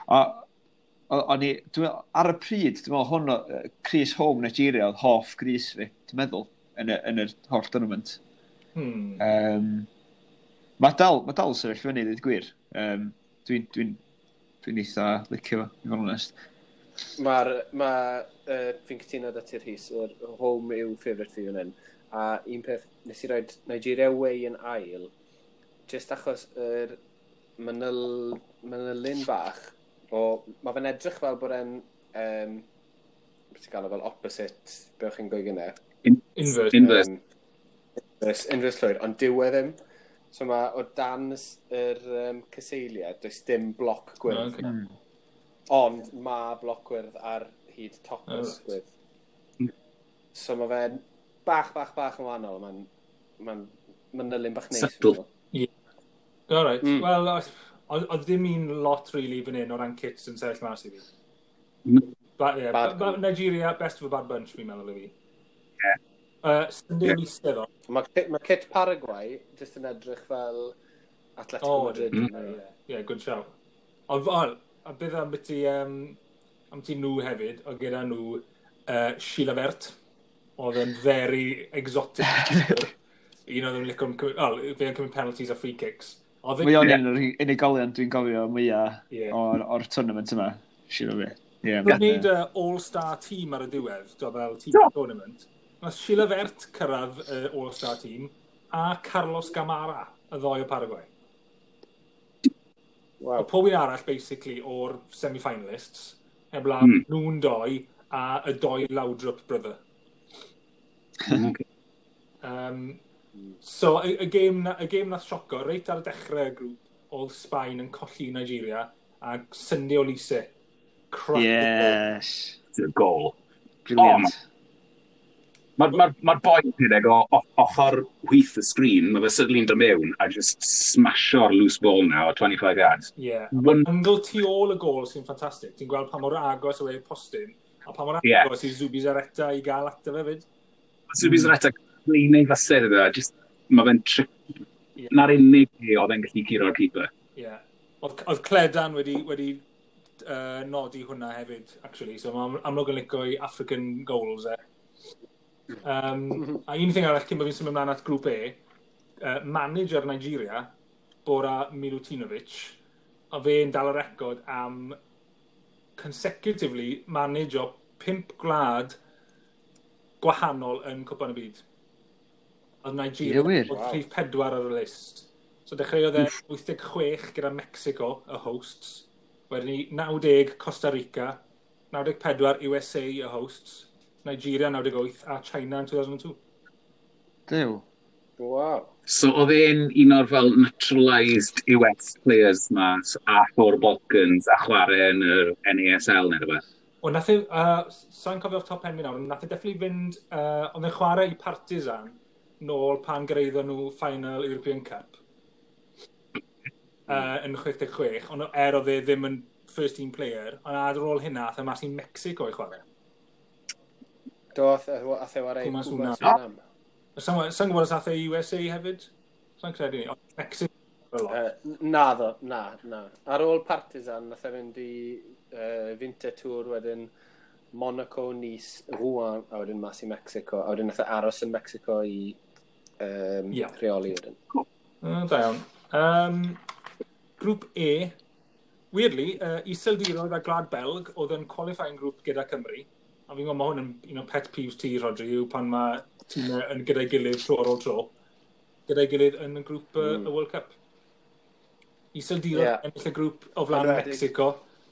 a, o- o'n i, dwi'n meddwl, ar y pryd, dwi'n meddwl hwn, o- yy, crys home Nigeria oedd hoff grys fi, dwi'n meddwl, yn y, yn yr holl tournament. Hmm. Um, mae dal, mae dal sefyll fyny, dweud gwir. Um, dwi'n dwi dwi'n eitha licio fo, i fod yn onest. Mae'r, ma, uh, fi'n cytuno da ti'r Rhys, yr home yw favourite fi fan hyn. A un peth, nes i roed Nigeria away yn ail, just achos yr manyl, manylun bach, o, mae fe'n edrych fel bod e'n, um, beth ti'n galw fel opposite, be o'ch chi'n gweud gyda? Inverse. Inverse. Um, inverse, inverse llwyr, ond dyw e ddim. So mae o dan y s- yr um, cyseiliau, does dim bloc gwyrdd. Okay. Mm. Ond mae bloc gwyrdd ar hyd top y Oh, right. ysgwydd. So mae fe'n bach, bach, bach yn wahanol. Mae'n ma manylun bach neis. Subtle. Fi'n meddwl. All right. Mm. Wel, oedd oedd ddim un lot really fan hyn o ran kits yn sefyll mas i fi. No. Ba, yeah, Bad ba, ba, Nigeria, best of a bad bunch, fi'n meddwl i fi. Yeah. Uh, Sunday Yeah. yeah. Olise, Mae kit, ma kit Paraguay jyst yn edrych fel Atletico Oh, Madrid. mm. Mm. Yeah, good shout. Ond, oh, a beth am ti, um, am ti nhw hefyd, oedd gyda nhw uh, Chilavert, oedd yn very exotic. Un oedd yn licio, oh, fe yn cymryd penalties a free kicks. Oedd Mae o'n Ie. un o'r unigolion dwi'n gofio mwyaf Ie. o'r, or tournament yma, siŵr o fi. Ie, Nhw'n ma'n, gwneud yy, uh, All-Star team ar y diwedd, do fel team Do. tournament. Nath Chilavert cyrraedd uh, All-Star team a Carlos Gamara, y ddoi o Paraguay. Wow. O pob un arall, basically, o'r semi-finalists, heblaw Hmm. nhw'n doi a y doi Laudrup brother. Okay. Um, So, y, y gêm, na, y gêm nath sioco, reit ar y dechrau y grŵp, oedd Sbaen yn colli i Nigeria, a Sunday Olise. Crack. Yes. The goal. Brilliant. Mae'r ma, ma boi yn rhedeg o o- ochr chwith y sgrin, mae fe suddenly yn dod mewn a just smasho'r loose ball now o twenty-five yards. Yeah. One, Angle tu ôl y gol sy'n ffantastig. Ti'n gweld pa mor agos yw e postyn, a pa mor Ie. agos i Zubizarreta i gael ato fe fyd. Zubizarreta clean ei fasedd iddo, just mae fe'n trick. Ie. Na'r unig le oedd e'n gallu curo'r keeper. Ie. Yeah. Oedd, oedd Cledan wedi, wedi uh, nodi hwnna hefyd, actually. So mae'n amlwg yn licio i African goals e. Um, a un thing arall cyn bod fi'n symud ymlaen at grŵp E, uh, manager Nigeria, Bora Milutinovic, a fe'n dal y record am consecutively manage o pump gwlad gwahanol yn Cwpan y Byd. Oedd Nigeria Ie, wir? oedd Wow. rhif pedwar ar y list. So dechreuodd e wyth deg chwech gyda Mexico, y hosts. Wedyn ni naw deg Costa Rica, naw deg pedwar U S A, y hosts, Nigeria naw deg wyth a China yn two thousand two. Dew. Wow. So oedd e'n un o'r fel naturalised U S players ma a o'r Balkans a chwarae yn yr N A S L neu rhywbeth? O, nath e, uh, sa'n cofio off top pen fi nawr, ond nath e definitely fynd, uh, oedd e'n chwarae i Partizan nôl pan gyraeddon nhw final European Cup uh, yn chwe deg chwech, ond er oedd e ddim yn first team player, ond ar ôl hynna, ath e mas i Mexico i chwarae. Do, ath ath e wario i Pumas Pumas Unam. Unam. Sa'n sa gwybod os ath e i U S A hefyd? Sa'n credu ni. Ond Mexico a lot. Uh, na ddo, na, na. Ar ôl Partizan, nath e fynd i uh, Winterthur, wedyn Monaco, Nice, Rouen, a wedyn mas i Mexico. A wedyn nath e aros yn Mexico i um, Ie. rheoli wedyn. Mm, da iawn. Um, grŵp E, weirdly, uh, Iseldiroedd a Gwlad Belg oedd yn qualifying group gyda Cymru. A fi'n gwybod mae hwn yn un o pet peeves ti, Rodri, yw pan mae tîmau yn gyda'i gilydd tro ar ôl tro. Gyda'i gilydd yn y grŵp uh, Mm. y World Cup. Iseldiroedd Ie. yeah. ennill y grŵp o flaen Enwedig. Mexico.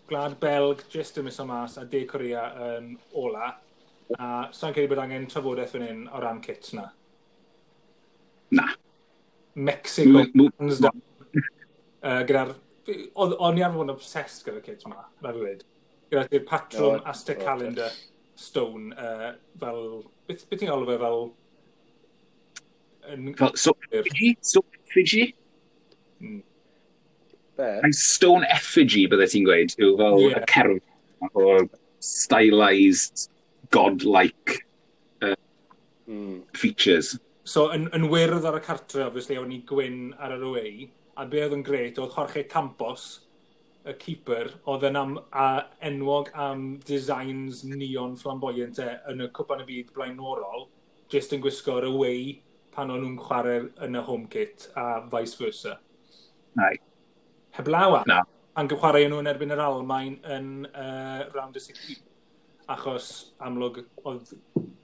Gwlad Belg just yn miso mas a De Korea yn ola. A sa'n credu bod angen trafodaeth fan hyn o ran kits na. Na. Mexico, M- m- hands down. Uh, gyda'r... Oedd o'n i arfer bod yn obsessed gyda'r kits ma, rhaid fi weud. Gyda'r patrwm O, Aztec o, Calendar stone, uh, fel... Beth, beth ti'n galw fe fel... Yn, Fel, so, effigy? Stone effigy? Mm. Be? Ai stone effigy bydde ti'n gweud, yw fel Ie. y cerdd o stylized, godlike Mm. features. So, yn, yn wyrdd ar y cartre, obviously, o'n i gwyn ar yr away, a be oedd yn gret oedd Jorge Campos, y keeper, oedd yn am, a enwog am designs neon flamboyant e yn y Cwpan y Byd blaenorol, just yn gwisgo'r away pan o'n nhw'n chwarae yn y home kit, a vice versa. Right. Heblaw am, Na. pan chwarae nhw yn erbyn yr Almain yn uh, round of sixteen. Achos amlwg oedd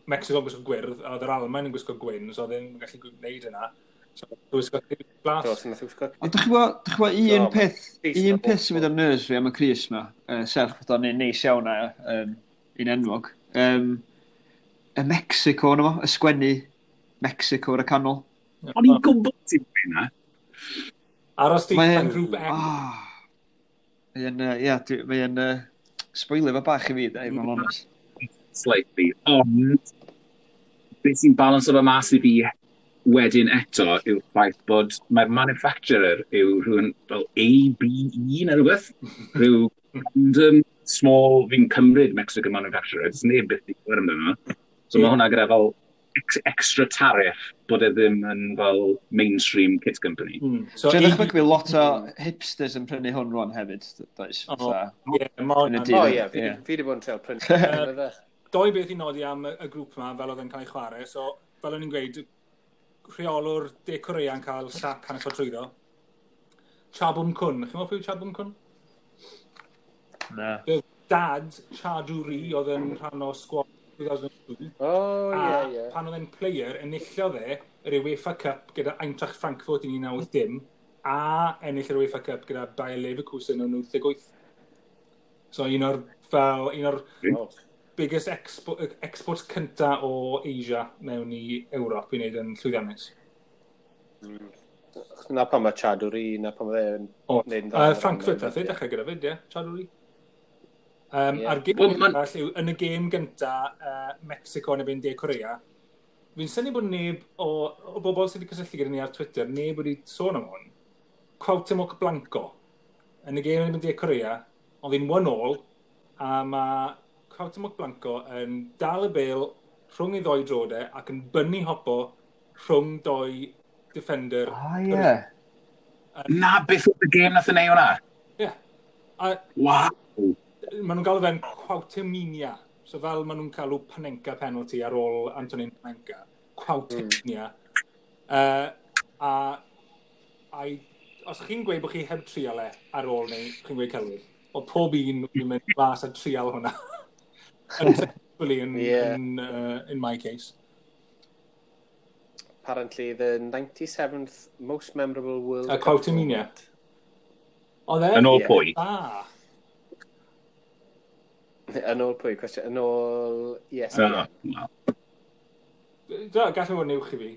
Mexico yn gwisgo gwyrdd, a oedd yr Almain yn gwisgo gwyn, so oedd e'n gallu gwneud yna. So, gwisgo glas. Do, so nath e wisgo. Ond dych chi'n gwybod, dych chi'n gwybod un Do, peth, crys un na peth sy'n mynd ar nerves fi am y crys ma, uh, serch bod o'n un neis iawn a um, un enwog. Um, y Mexico yna fo, y sgwennu Mexico ar y canol. O'n i'n gwybod ti'n gweud na. Aros di Mae- yn grŵp E. Ah. Mae'n, uh, ie, dwi- mae'n uh, spoilio fo bach i fi, da, i fod yn onest. Slightly. Ond, beth sy'n balance o fe mas i fi wedyn eto yw'r ffaith bod mae'r manufacturer yw rhywun fel A B E neu rhywbeth. Rhyw random small, fi'n cymryd Mexican manufacturer, does neb byth di clywed amdano. So mae hwnna gyda fel ex extra tariff bod e ddim yn fel mainstream kit company. Mm. So, Dwi'n A B ddychmygu bydd lot o hipsters yn prynu hwn rwan hefyd, does? O. Fatha, Ie, ma' Yn y hwnna'n- dydd. O ie, fi Ie. fi 'di bod yn trial prynu fe. Doi beth i nodi am y, y grŵp yma, fel oedd yn cael ei chwarae. So, fel o'n i'n gweud, rheolwr De Korea yn cael sac hanner ffordd trwyddo. Cha Bum-kun. Chi'n meddwl pwy yw Cha Bum-kun? Na. Dad Cha Du-ri oedd yn rhan o squad two thousand two. O, A ie, ie. pan oedd e'n player, enillodd e yr UEFA Cup gyda Eintracht Frankfurt yn un naw wyth dim a ennill yr UEFA Cup gyda Bayer Leverkusen yn wyth wyth. So un o'r, fel, un o'r O. biggest expo exports cynta o Asia mewn i Ewrop i wneud yn llwyddiannus. Mm. Na pan mae Chad Uri, na pan mae fe'n... O, uh, Frankfurt nath e dechrau gyda fyd, ie, Chad Uri. Um, yeah. A'r gêm well, man... arall yw, yn y gêm gynta, uh, Mexico yn erbyn De Korea, fi'n synnu bod neb o, o bobl sydd wedi cysylltu gyda ni ar Twitter, neb wedi sôn am hwn. Cuauhtemoc Blanco. Yn y gêm yn erbyn De Korea, oedd hi'n one all, a mae Cuauhtemoc Blanco yn dal y bêl rhwng ei ddoi drodau ac yn bunny hopo rhwng doi defender. Ah, ie. Yeah. Na, beth oedd y gêm nath yn ei hwnna? Ie. Yeah. Wow. Maen nhw'n galw fe'n Cuauhtemania. So fel maen nhw'n galw Panenka penalty ar ôl Antonin Panenka. Cuauhtemania. Mm. Uh, a, a os chi'n gweud bod chi heb trial e ar ôl neu chi'n gweud celwydd, oedd pob un wedi mynd fas a trial hwnna. Unsuccessfully in, yeah. in, uh, in my case. Apparently the ninety-seventh most memorable World Cup. Cuauhtemania. Oedd e? Yn ôl pwy? Ah. Yn ôl pwy, cwestiwn? Yn ôl E S P N. Uh, no. Gallai fod yn uwch i fi.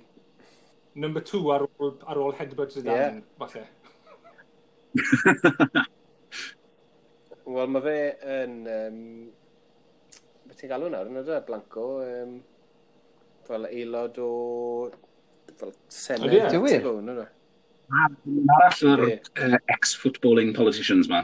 Number two ar ôl, ar ôl headbutt Zidane, yeah. Falle. Wel, mae fe yn... Um, beth ti'n galw nawr? Yn ydy, Blanco. Um, fel aelod o... Fel Senedd. Ydy, wir? Arall o'r uh, ex-footballing politicians ma.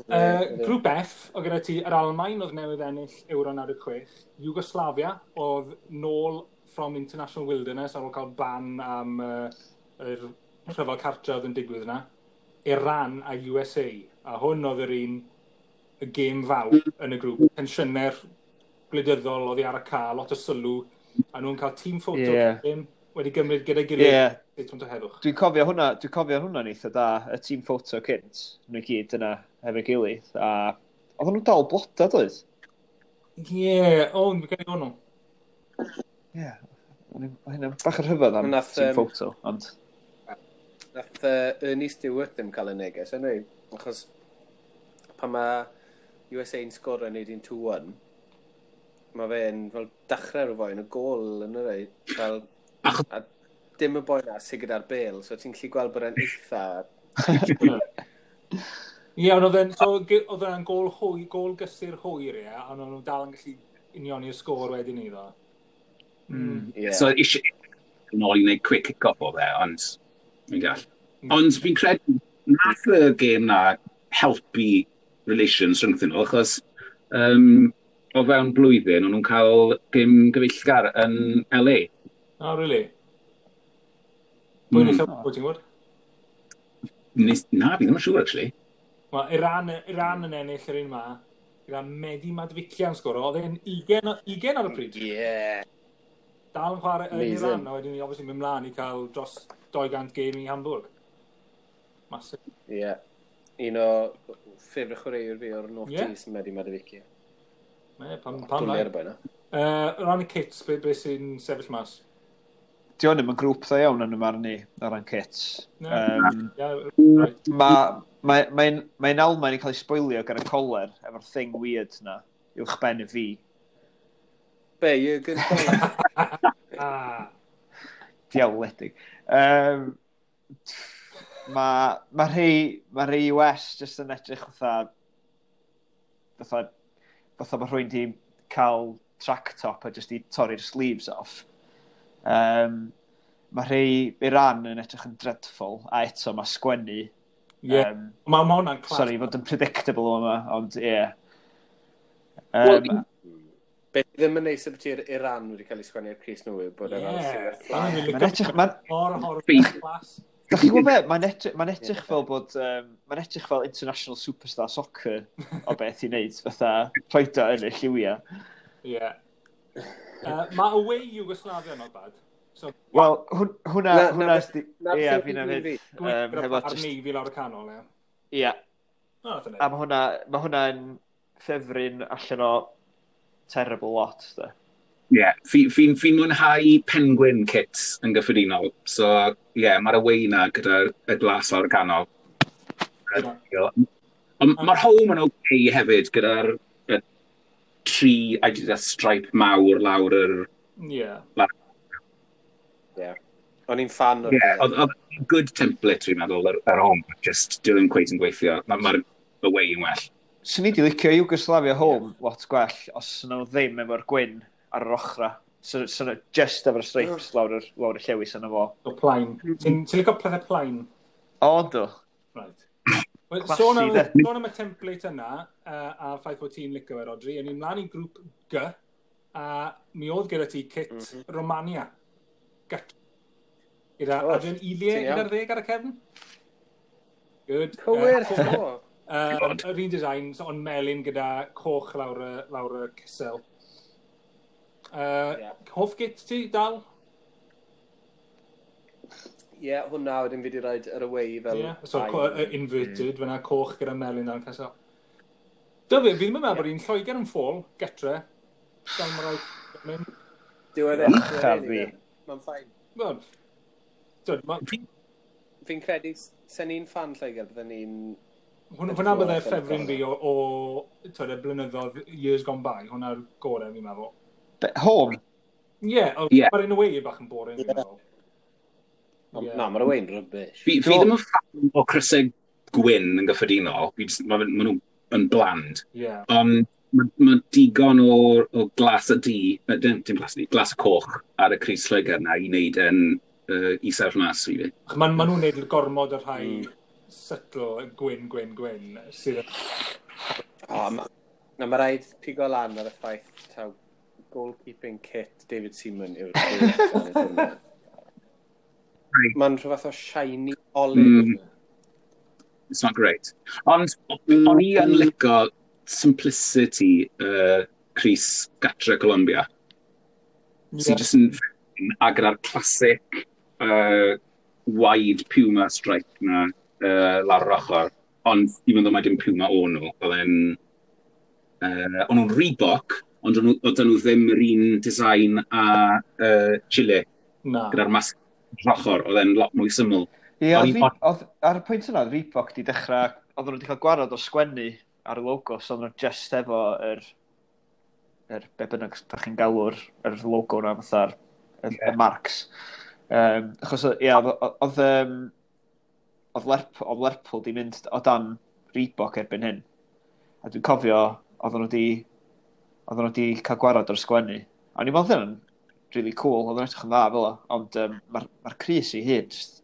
Uh, Grŵp F, o gyda ti yr Almaen oedd newydd ennill Euro naw deg chwech, Yugoslavia oedd nôl from international wilderness ar ôl cael ban am uh, yr rhyfel cartre oedd yn digwydd yna, Iran a U S A, a hwn oedd yr un y gêm fawr yn y grŵp. Tensiynau'r gwleidyddol oedd ar y ca, lot o sylw, a nhw'n cael team photo yeah. Game wedi gymryd gyda'i gilydd. Yeah. Statement o heddwch. Dwi'n cofio hwnna, dwi'n cofio hwnna'n eitha da, y team photo cynt, nhw i gyd yna hefo'i gilydd, a oedden nhw'n dal bloda, doedd? Ie, yeah, o, fi'n cael ei hwnnw. Ie, hynna bach yn rhyfedd am nath, team um, photo, ond... Nath uh, Ernie Stewart ddim cael y neges, anyway, achos pan mae U S A'n sgoro yn neud un two one, mae fe'n fel dechrau rhyw foi yn y gôl yn yr ei, fel... A dim y boi na sydd gyda'r bêl, so ti'n gallu gweld bod e'n eitha... Ie, ond oedd e'n so, oedd e'n gôl hwy, gôl gysur hwyr, ie, ond o'n nhw dal yn gallu unioni'r sgôr wedyn iddo. Mm. Yeah. So eisiau yn ôl i wneud quick kick-off o fe, ond fi'n deall. Ond fi'n credu nath y gêm na helpu relations rhyngthyn nhw, achos um, o fewn blwyddyn o'n nhw'n cael gêm gyfeillgar yn L A. Oh, really? Pwy mm. Pwy ti'n gwybod? Nes, na, fi ddim yn siŵr, actually. Wel, Iran, Iran yn ennill yr un ma. Gyda Mehdi Mahdavikia'n sgoro. Oedd e'n ugain, ugain ar y pryd. Yeah. Dal yn chwarae yn Iran, a wedyn ni obviously mynd mlaen i cael dros dau gant gêm i Hamburg. Massive. Ie. Yeah. Un o ffefr chwaraewr fi o'r noughties, yeah. Mehdi Mahdavikia. Ie, pam, pam lai. Dwlu ar y boi na. Uh, o ran y kits, be, be sy'n sefyll mas? Di hwn ddim yn grŵp dda iawn yn y marn i o ran kits. Um, yeah, right. Mae mae, mae'n mae Almaen yn cael ei sboilio gan y coler efo'r thing weird na, uwch ben y fi. Be, Jürgen Kohler? Ah. Diawledig. Um, mae ma rhai, ma rhai U S jyst yn edrych fatha, fatha, fatha mae rhywun di cael track top a jyst i torri'r sleeves off. Um, mae rhai Iran yn edrych yn dreadful, a eto mae sgwennu. Yeah. Um, mae ma hwnna'n class. Sorry, fod yn predictable yma, ond ie. Yeah. Um, well, Beth ddim yn neis ydy'r Iran wedi cael ei sgwennu ar crys nhw yw bod e'n yeah. Mae'n edrych... Mae'n mor horror class. Da chi'n gwybod be? Mae'n edrych, mae'n edrych fel bod... Um, mae'n edrych fel international superstar soccer o beth i wneud, fatha rhoid o yn y lliwiau. Ie. Yeah. Uh, mae away Yugoslavia not bad. So, Wel, hwnna... Hwnna... Ie, fi'n hefyd. Gwneud ar navy lawr y canol, ie. Ie. A mae hwnna, ma hwnna'n ffefryn allan o terrible lot, de. Ie, yeah, fi'n fi, fi mwynhau penguin kits yn gyffredinol. So, ie, yeah, mae'r away na gyda'r y glas lawr y canol. Yeah. Ond mae'r home yn okay hefyd gyda'r y tri Adidas stripe mawr lawr yr... Ie. Yeah. Yeah. O'n i'n fan o'r Yeah, oedd oedd good template, dwi'n meddwl, yr, yr home. Just dyw ddim cweit yn gweithio. Mae'r ma away yn well. Swn i wedi licio Yugoslavia home lot gwell os nhw ddim efo'r gwyn ar yr ochra. So, so nhw just efo'r stripes lawr yr, lawr y llewis yna fo. O plain. Ti'n ti licio pethau plain? O, do. Right. Wel, Classy, sôn am, de. sôn am y template yna, uh, a ffaith bod ti'n licio fe, Rodri, yn ni'n mlaen i grŵp G, a mi oedd gyda ti kit mm -hmm. Romania. Gat. Gyda O, Adrian Ilie ti'n iawn. un ar ddeg ar y cefn. Good. Cywir, Uh, o. Uh, God. yr un design, so, ond melyn gyda coch lawr y, lawr y cysel. Uh, Ie. Hoff git ti, dal? Ie, yeah, hwnna wedyn fi wedi rhoi yr away fel... Ie. So, ail. co- uh, inverted, mm. Fyna coch gyda melyn dan cysel. Dyfu, fi ddim yn meddwl bod un Lloegr yn ffôl, getre. Gan mae rhaid mynd. Dyw e ddim. Ych a fi. Mae'n fine. Wel, twyd, ma- Fi'n credu, sen ni'n fan Lloegr, bydden ni'n... hwn- Hwnna bydde ffefryn fi o, o twyd, y blynyddoedd years gone by. Hwnna'r gorau fi'n meddwl. Be, home? Ie, yeah, Ie. mae'r un away bach yn boring, fi'n Ie. meddwl. Ond Ie. Na, mae'r away'n rubbish. Fi, fi ddim yn fan o crysau gwyn yn gyffredinol. Fi jyst- Ma, ma nhw yn bland. Ie. Ond mae ma digon o, o glas a du, eh, dim, dim glas a du, glas a coch ar y crys Lloegr na i wneud yn uh, i sefyll mas i fi. Mae ma nhw'n neud gormod o'r rhai Mm. subtle gwyn, gwyn, gwyn. Sydd O, ma, na, mae rhaid pigo lan ar y ffaith taw goalkeeping kit David Seaman yw'r tournament. Mae'n rhyw fath o shiny olive. Mm. It's not great. Ond o'n i yn licio simplicity uh, crys gatre Colombia. Yeah. Sy'n just yn a gyda'r classic uh, wide Puma stripe na uh, lawr yr ochr. Ond even though mae dim Puma o nhw, oedd e'n... Uh, o'n nhw'n Reebok, ond o'n nhw- oedden nhw ddim yr un design a uh, Chile, Na. gyda'r masg yr ochr, oedd e'n lot mwy syml. Ie, O'n oedd i- Re- oedd, ar y pwynt yna, oedd Reebok di dechrau, oedden nhw wedi cael gwarad o sgwennu ar y logo, so oedden nhw just efo yr, yr be bynnag da chi'n galw'r yr logo na, fatha'r y, y marks. Um, achos, ie, oedd, oedd, um, oedd Lerpwl, oedd Lerpwl di mynd o dan Reebok erbyn hyn. A dwi'n cofio, oedden nhw di, oedden nhw di cael gwarad o'r sgwennu. A o'n i'n meddwl hynna'n really cool, oedd yn edrych yn dda fel o, ond um, mae'r ma crys i hyn, just,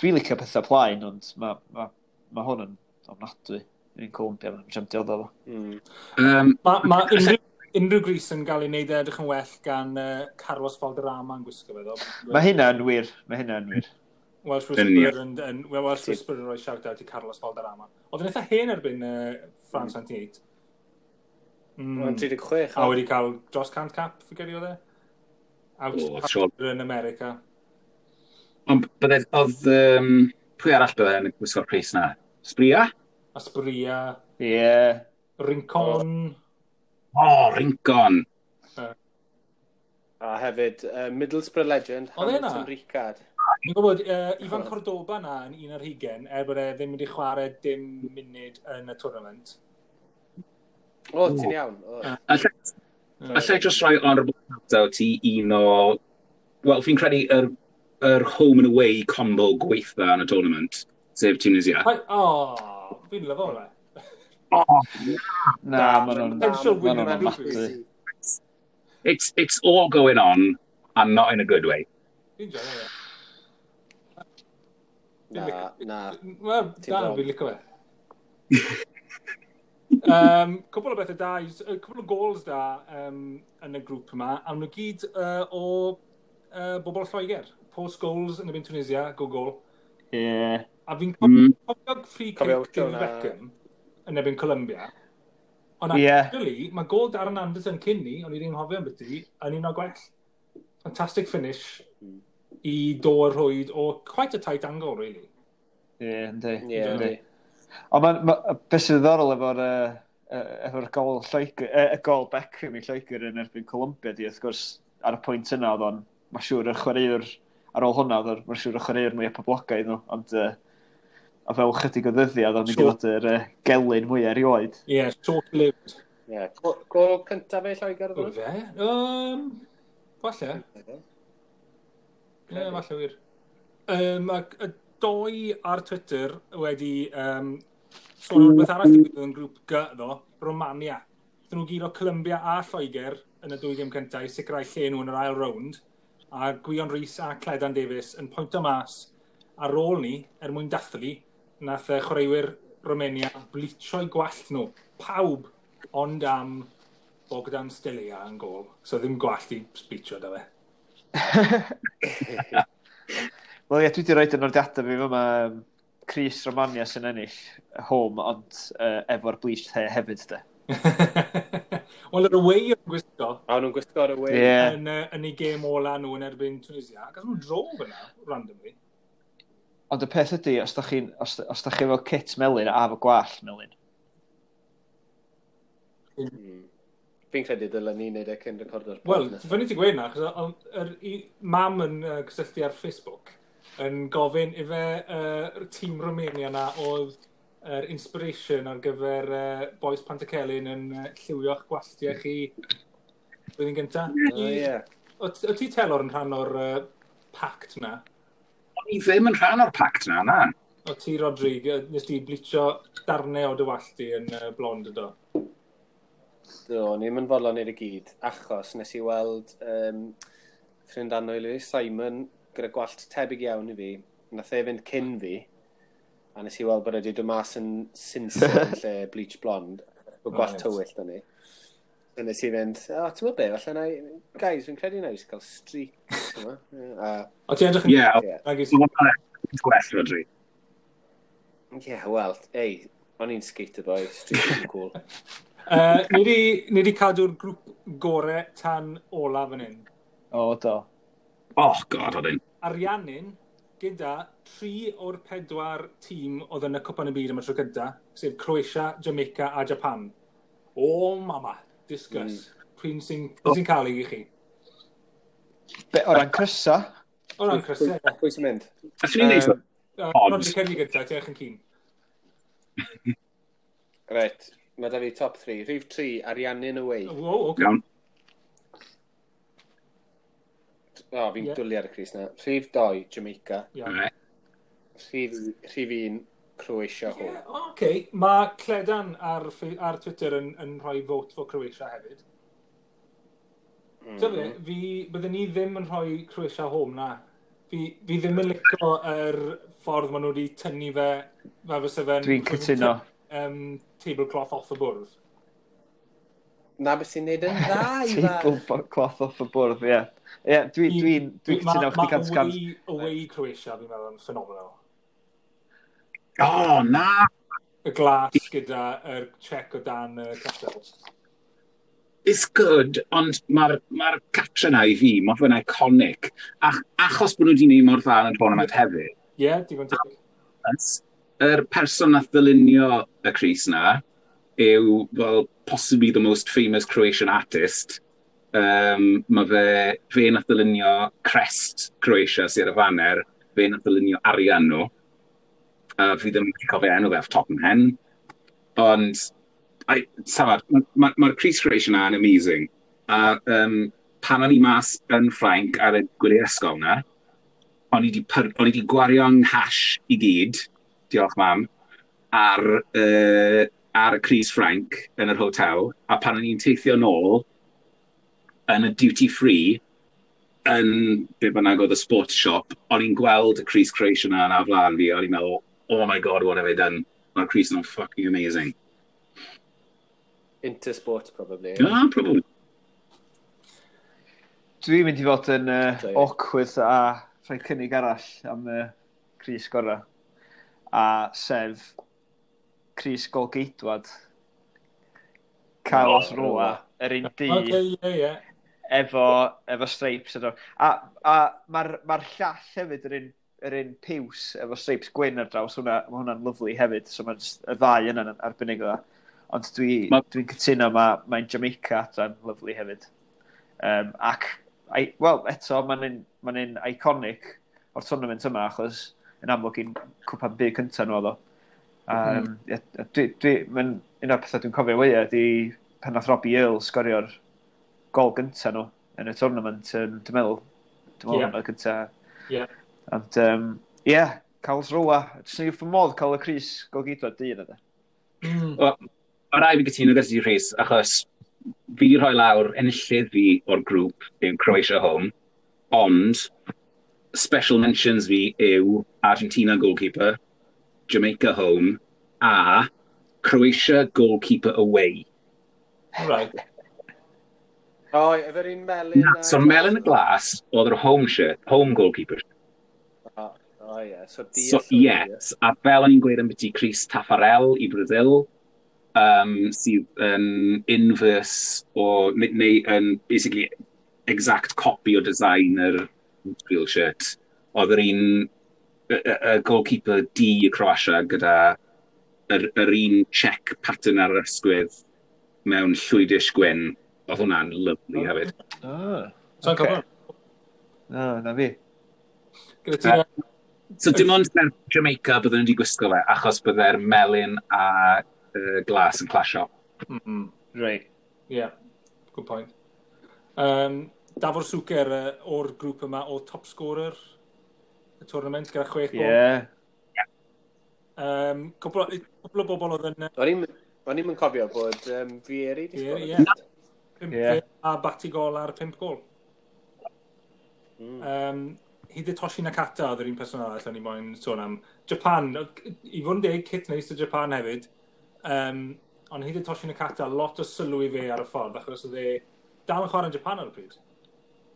dwi'n licio pethau plaen, ond mae ma, ma hwn yn ofnadwy. Yn Colombia, mae'n jam dioddef fo. Mm. Um, Mae ma unrhyw, unrhyw grys yn cael ei wneud edrych yn well gan uh, Carlos Valderrama yn gwisgo fe, ddo. Mae hynna'n wir, mae hynna'n wir. Welsh Yn Whisperer yn, yn, well, Welsh Whisperer yn rhoi shout-out i Carlos Valderrama. Oedd yn eitha hen erbyn uh, France ninety-eight. Mm. Mae'n tri deg chwech. A wedi cael dros cant cap, fi credu oedd e? Out O, sure. yn America. Ond bydde, oedd, um, pwy arall bydde yn gwisgo'r crys na? Asprilla? Asprilla, Ie. Yeah. Rincon. O, oh, Rincon. A hefyd, uh, Middlesbrough legend, Oedd e 'na? Hamilton Ricard. Ni'n gwybod, uh, Ivan Cordoba na yn un ar hugen, er bod e ddim wedi chwarae dim munud yn y tournament. O, ti'n iawn. O. Allai allai just rhoi honourable shout-out i un o... Wel, fi'n credu yr, yr home and away combo gweitha yn y tournament, sef Tunisia. Hai- O, fi'n lyfo hwnna. Oh, Na, ma' nhw'n Potential ma' win nhw'n yn ofnadwy. it's, it's all going on, and not in a good way. Fi'n joio fe. Na, na. Wel, Ti'n da, wrong. fi'n licio fe. um, cwpl o bethau da, yy, cwpl o goals da um, yn y grŵp yma, a nhw gyd uh, o uh, bobl Lloegr. Paul Scholes yn erbyn Tunisia, go goal. Ie. A fi'n Mm. cofio free Cofio kick David hwnna. Beckham yn erbyn Colombia. Ond Ie. actually, mae gol Darren Anderton cyn ni, o'n i ddim hofio am byti, yn un o'r gwell. Fantastic finish Mm. i dod rhwyd o quite a tight angle, really. Ie, yndi. Ie, Yndi. yndi. Ond ma, ma, beth sy'n ddiddorol efo'r uh, efo'r gol Lloegr, uh, y gol Beckham i Lloegr yn erbyn Colombia di, wrth gwrs, ar y pwynt yna oedd o'n, mae siŵr y chwaraewr, ar ôl hwnna oedd o'n, mae'n siŵr y chwaraewr mwyaf poblogaidd nhw, ond uh, a fel chydig o ddyddiad, oedd o'n mynd i Sure. fod yr uh, gelyn mwyaf erioed. Ie, yeah, short-lived. Ie. Gol- Gol cyntaf e Lloegr O oedd fe? Um, falle. Ie, yeah, falle wir. Um, ac y doi ar Twitter wedi um, sôn am rhywbeth arall digwyddodd yn grŵp G, ddo, Romania. Ddyn nhw guro Colombia a Lloegr yn y dwy gêm cyntaf i sicrhau lle nhw yn yr ail rownd, a Gwion Rhys a Cledan Davies yn pwynto mas ar ôl ni, er mwyn dathlu, nath y chwaraewyr Romania bleachio'u gwallt nhw. Pawb ond am Bogdan Stelea yn gol. So ddim gwallt i bleachio da fe. Wel ie, dwi wedi rhoi yn nodiadau fi fyma um, crys Romania sy'n ennill home, ond uh, efo'r bleached hair hefyd, de. Wel, yr away yn gwisgo A nhw'n gwisgo'r away. Ie. yn, uh, yn ei gêm ola nhw yn erbyn Tunisia. Ac nhw'n dro fyna, randomly. Ond y peth ydy, os da chi'n os, os da chi efo kit melyn a efo gwallt melyn, Mm. Fi'n credu dylen ni wneud e cyn recordo'r pod Wel, nesaf. Fyny ti gweud na, achos o- yr i- mam yn uh, cysylltu ar Facebook yn gofyn ife uh, tîm Romania na oedd yr inspiration ar gyfer uh, Boys Pantycelyn yn uh, lliwio'ch gwalltiau chi blwyddyn gynta. O, ie. O o ti Telor yn rhan o'r uh, pact na? O'n i ddim yn rhan o'r pact na, na. O ti, Rodri, nes ti bleachio darnau o dy wallt di yn uh, blond ydo? Do, ni'n mynd fodlon i'r i gyd, achos nes i weld um, ffrind annwyl i fi, Simon, gyda gwallt tebyg iawn i fi, nath e fynd cyn fi, a nes i weld bod e wedi dod mas yn sinsir yn lle bleach blond, bod gwallt Right. tywyll da ni. A nes i fynd, o, ti'n gwybod be, falle na, i- guys, fi'n credu na i jyst cael streaks, ti'n gwbod? A, O ti'n edrych yn Ie, ie, Nag oedd hwnna'n gwell, Rodri. ie, wel, ei, o'n i'n skater boy, streaks yn cool. Uh, ni di, ni di cadw'r grŵp gore tan ola fan hyn. O, do. Oh, God, oedd un. Ariannin gyda tri o'r pedwar tîm oedd yn y Cwpan y Byd am y tro cynta, sef Croatia, Jamaica a Japan. O, mama, discuss. Mm. Pwy sy'n oh. sy cael ei i chi? Be, o ran crysa, O ran crysau. Pwy pwy sy'n mynd? Allwn ni wneud Yym, Uh, Odd. Rodri Ceri gynta, ti eich yn keen. Reit, mae da fi top three. Rhif tri, Ariannin away. Wow, okay. Iawn. O, fi'n Ie. yeah. dwlu ar y crys na. Rhif dau, Jamaica. Iawn. Right. Rhif, rhif un, Croatia home. Yeah, okay. Mae Cledan ar, Fe- ar Twitter yn, yn rhoi vote for Croatia hefyd. Mm. Dyfe, fi, byddwn ni ddim yn rhoi Croatia home na. Fi, fi ddim yn licio yr ffordd maen nhw wedi tynnu fe, fe fysa fe'n Dwi'n cytuno. Um, tablecloth off y bwrdd. Na beth sy'n neud yn dda i fa. Tablecloth off y bwrdd, ie. Ie, dwi'n dwi, dwi cytuno chdi gant Ma gant. away, away Croatia, fi'n meddwl, yn phenomenal. O, na! Y glas gyda yr check o dan y castle. It's good, ond mae'r ma catre na i fi, mae fe'n iconic. Ach, achos bod nhw wedi gwneud mor dda yn y tournament hefyd, Ie, yeah, digon teg. yr person nath ddylunio y crys na yw, well, possibly the most famous Croatian artist. Um, mae fe, fe nath ddylunio crest Croatia sydd ar y faner, fe nath ddylunio arian nhw. A fi ddim yn cofio enw fe off top of my head. Ond, I, safad, mae'r ma, ma crys Croatia na yn amazing. A um, pan o'n i mas yn Ffrainc ar y gwyliau ysgol na, o'n i di, pyr, o'n i di gwario'n nghash i gyd, diolch mam, ar, uh, ar y crys Ffrainc yn yr hotel, a pan o'n i'n teithio nôl yn y duty free, yn be bynnag oedd y sports shop, o'n i'n gweld y crys Croatia na yna flaen fi, o'n i'n meddwl, "Oh my God, what have I done?" Mae'r crys yna'n fucking amazing. Intersport, probably. Yeah, probably. Dwi'n mynd i fod yn uh, Joio. awkward a rhoi cynnig arall am y uh, crys gorau. A sef crys golgeidwad Carlos Oh, Roa, yr un du, Oce, ie, ie. efo, efo stripes. Efo. A, a mae'r ma llall hefyd yr un, yr un piws efo stripes gwyn ar draws, hwnna, ma hwnna'n lyfli hefyd, so mae'n just, y ddau yna'n arbennig o dda. Ond dwi, Ma- dwi'n cytuno, mae mae'n Jamaica adran lyfli hefyd. Um, ac, wel, eto, mae'n un, mae'n un iconic o'r tournament yma, achos yn amlwg i'n cwpan byd cyntaf nhw oedd o. Um, mm. dwi, dwi, mae'n un o'r pethau dwi'n cofio fwyaf ydy pan nath Robbie Earle sgorio'r gol gyntaf nhw yn y tournament, um, dwi'n meddwl, dwi'n meddwl Ie. yeah. hwnna gyntaf. Yeah. Ond, um, yeah, Karlsruhe. Jyst yn wrth fy modd cael y crys golgeidwad du yna, de. Mm. Wel, mae rhaid fi gytuno gyda ti, Rhys, achos fi rhoi lawr enillydd fi o'r grŵp yw Croatia home, ond special mentions fi yw Argentina goalkeeper, Jamaica home, a Croatia goalkeeper away. Right. O, efo'r un melyn... Na, so melyn y glas oedd yr home shirt, home goalkeeper. O, o ie, so di... So, yes, a fel o'n i'n gweud ambiti crys Taffarel i Brazil, um, sydd yn inverse o, neu, neu yn basically exact copy o design yr real shirt. Oedd yr un, y, y, y goalkeeper D i Croatia gyda yr, yr un check pattern ar yr ysgwydd mewn llwydish gwyn. Oedd hwnna'n lovely hefyd. Ah, So'n Ocê. cofio. no, na fi. Gyda ti... So dim ond mewn Jamaica byddwn nhw wedi gwisgo fe, achos bydde'r melyn a uh, glas yn clasio. Mm. Right. Yeah, good point. Um, Davor Suker uh, o'r grŵp yma o top scorer y tournament gyda chwech gol. Yeah. Um, cwpl, o, cwpl o bobl oedd yn... O'n i'm o'n i'm yn cofio bod um, Vieri di Ie, sgorio. ie. Pump Ie. a Batigol ar pump gol. Mm. Um, Hidetoshi Nakata oedd yr un person arall o'n i moyn sôn am. Japan, i fod yn deg, kit neis o Japan hefyd. Um, ond Hidetoshi Nakata, lot o sylw i fe ar y ffordd, achos oedd e dal yn chwarae yn Japan ar y pryd.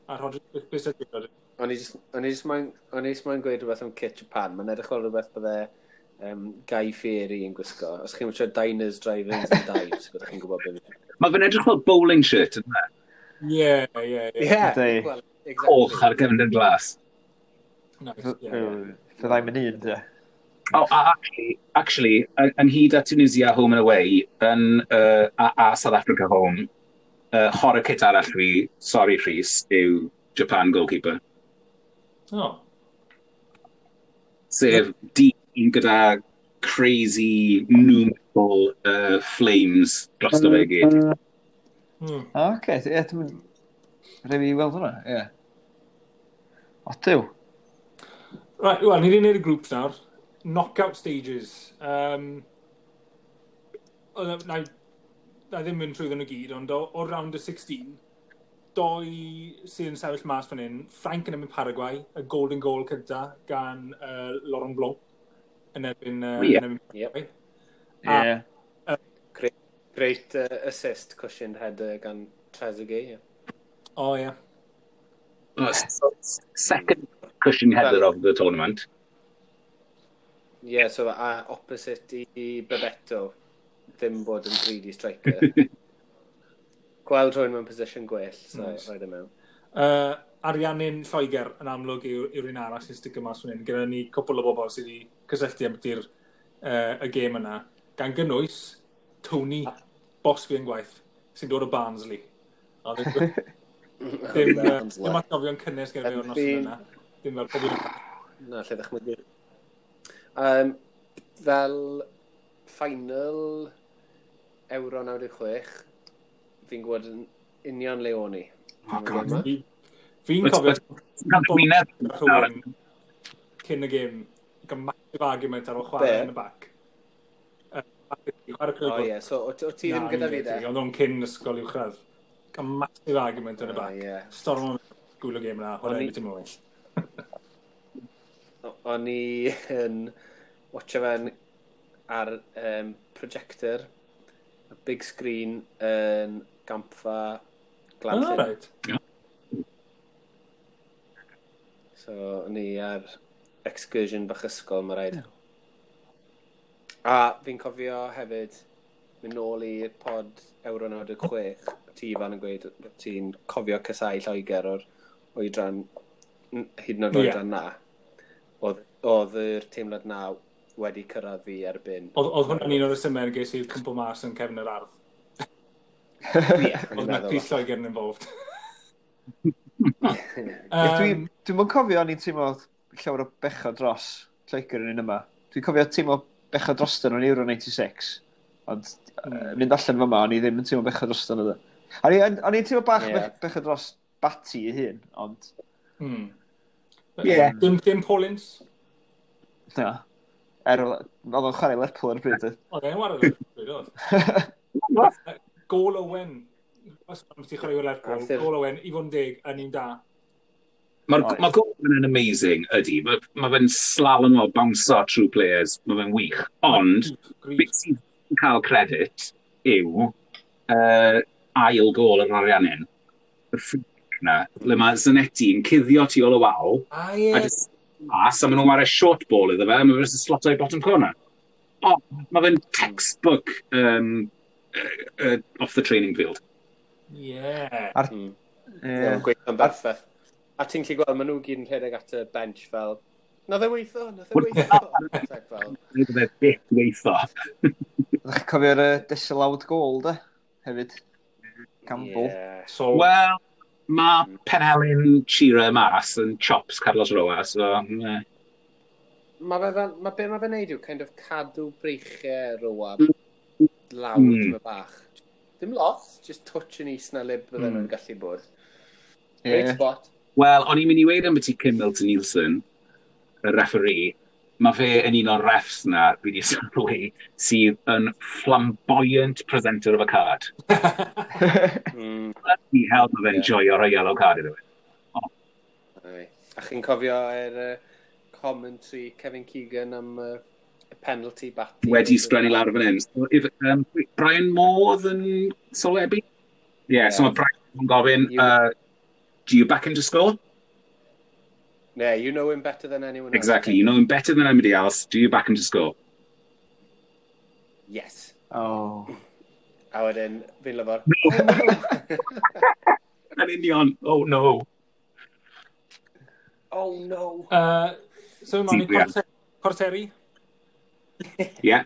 A Roger, beth beth ydy Roger? O'n i jyst o'n i jyst moyn o'n i jyst moyn gweud rhywbeth am kit Japan. Mae'n edrych fel rhywbeth bydde um, Guy Fieri yn gwisgo. Os chi'n watcho Diners, Drive-ins and Dives, byddwch chi'n gwybod beth. Mae fe'n edrych fel bowling shirt, yna. Ie, ie, ie. Yeah, Yndi. well, Coch exactly. ar gefndir glas. Nice, ie, ie. Fyddai'n mynd un, de. Oh, a actually, actually, yn ynghyd â Tunisia home and away, yn, uh, a, a South Africa home, uh, horror kit arall fi, sorry Rhys, yw Japan goalkeeper. Oh, Sef dyn gyda crazy nu metal uh, flames drosto fe i gyd. hmm. O, oce. Ie, dwi'n... Rhaid fi weld hwnna, ie. O, diw. Right, wel, ni wedi gwneud y grŵps nawr. Knockout stages. Um, oedd- na, na ddim mynd trwy nhw gyd, ond o, o round y sixteen, doi sydd yn sefyll mas fan hyn, Ffrainc yn erbyn Paraguay, y golden goal cynta gan uh, Laurent Blanc yn erbyn, uh, Ie. yn erbyn Yep. Paraguay. A- Ie. Great uh, assist, cushioned header gan Trezeguet. Yeah. O, ie. Oh, so, second cushion header of the tournament. Yeah, so a opposite i Bebeto, ddim bod yn greedy striker. Gweld rhywun mewn position gwell, so Nice. nice. Rhaid e mewn. Uh, Ariannin Lloegr yn amlwg yw'r yw un arall sy'n sticio mas fan hyn. Gyda ni cwpl o bobl sydd wedi cysylltu am ydy'r uh, y gêm yna. Gan gynnwys Tony, boss fi yn gwaith, sy'n dod o Barnsley. A ddim, ddim, uh, ddim atgofion cynnes gyda fi o'r noson Fi'n- yna. Ddim fel pobl. Na, lle ddechmygu. Um, fel final Euro naw deg chwech, fi'n gwybod yn union le o'n i. Oh, God. Fi- Fi'n cofio Cael gwyneb rhywun cyn y gêm, gael massive argument ar ôl chwarae Be? yn y bac. Yy, Chwarae O clwb. ie, so o o ti ddim Na, gyda fi de? Oedd o'n cyn ysgol uwchradd. Gael massive argument yn y O bac. ie. Storm o'n gwylio gêm yna, O'n chwarae i- beth dim well. O- O'n i yn watcho fe'n ar um, projector, a big screen yn gampfa Ah, Glanllyn. right. So, o'n i ar excursion bach ysgol, mae rhaid. A fi'n cofio hefyd mynd nôl i'r pod Euro naw deg chwech, ti Ifan yn gweud bod ti'n cofio casáu Lloegr o'r oedran, n- hyd yn oed Ie. oedran na. Oedd, oedd yr teimlad na wedi cyrraedd fi erbyn. Oedd oedd hwnna'n un o'r resymau ges i'r cwmpo mas yn cefn yr ardd. Ie, o'n i'n Oedd na meddwl. crys Lloegr yn involved. Ie, dwi, Um, dwi'n mwyn cofio o'n i'n teimlo llawer o bechod dros Lloegr yn un yma. Dwi'n cofio teimlo bechod dros nhw'n Euro naw chwech. Ond mm. mynd allan fyma, o'n i ddim yn teimlo bechod dros nhw. O'n i- o'n i'n teimlo bach Ie. yeah. bechod dros Bati ei hun, ond Hmm. Yeah. Dim, dim Paul Ince? Na. Er, oedd o'n chwarae Lerpwl ar y bryd. Oedd e'n chwarae Lerpwl, bryd oedd. Gol Owen. Os ti'n chwarae Lerpwl, gol Owen, i fod yn deg, yn un da. Mae'r ma gol yn amazing, ydy. Mae ma fe'n slalom o bounce true players, mae fe'n wych. Ond, beth sydd yn cael credit yw uh, ail gol yr Ariannin. Y ffric na, le mae Zanetti yn cuddio tu ôl y wal. Ah, ie. A just mas, a maen nhw'n wario short ball iddo fe, a mae fe jyst yn sloto i bottom corner. O, mae fe'n textbook um, uh, uh, off the training field. Yeah. Ar... Mm. Yeah. Yeah, gweithio'n berffaith. A ti'n gallu gweld, maen nhw gyd yn rhedeg at y bench fel, nath e weithio, nath e weithio. Fel. Nath e byth weithio. Ydych chi'n cofio'r uh, disallowed goal, de? Hefyd. Campbell. Yeah. So, Wel, mae Penelyn Shearer mas yn chops Carlos Roa, so... Yeah. Mae fe fel, mae be mae fe'n neud yw kind of cadw breichiau Roa lawr Mm. mm. bach. Dim lot, just touch yn is na le bydden Mm. nhw'n gallu bod. Great Yeah. spot. Wel, o'n i'n mynd i weud am beth i Kim Milton Nielsen, y referee, mae fe yn un o'r refs na, fi wedi sylwi, sydd yn flamboyant presenter of a card. Mm. Bloody hell, mae fe'n Ie. joio rhoi yellow card iddo fe. Aye. A chi'n cofio yr uh, commentary Kevin Keegan am uh, y penalty batty? Wedi sgrennu lawr fan hyn. So, if, um, Brian Moore oedd yn sylwebu? Yeah, so Ie. mae Brian yn gofyn, You- uh, do you back him to score? Yeah, you know him better than anyone else. Exactly, you know him better than anybody else. Do you back him to score? Yes. Oh. A wedyn, fi'n lyfo'r... Yn union, oh no. Oh no. uh, so, mae'n i Ie. cwarter, cwarteri. Yeah.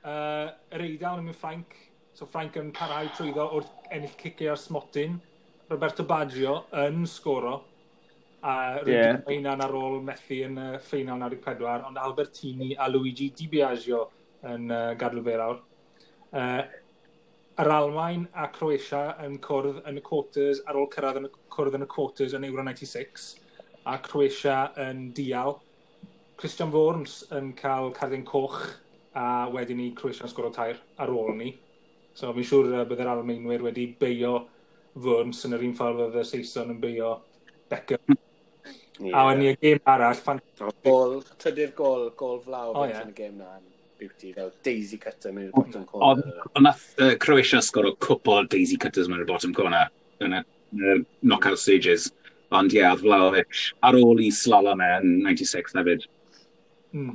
Uh, yr Eidal yn mynd Ffrainc. So Ffrainc yn parhau trwyddo wrth ennill ciciau ar smotyn. Roberto Baggio yn sgoro. A Ie. yeah. hunan ar ôl methu yn y ffeinal naw deg pedwar, ond Albertini a Luigi Di Biagio yn uh, gadw fe lawr. Uh, yr Almaen a Croatia yn cwrdd yn y quarters ar ôl cyrraedd yn y cwrdd yn y quarters yn Euro naw deg chwech a Croatia yn dial. Christian Worms yn cael cardyn coch a wedyn ni Croatia yn sgoro tair ar ôl ni. So fi'n siŵr uh, bydd yr Almaenwyr wedi beio Worms yn yr un ffordd oedd y Saeson yn beio Beckham. Yeah. A wedyn ni y gêm arall, fan... Gol, trydydd gol, gol Vlahovic O, oh, ie. yn y gêm na. yn Beauty, fel daisy cutter mewn i'r bottom Ond corner. ond nath uh, Croatia sgoro cwpl o daisy cutters mewn i'r bottom corner yn y, yn y knockout stages. Ond ie, yeah, oedd Vlahovic ar ôl i slalom e yn naw deg chwech hefyd. Mm.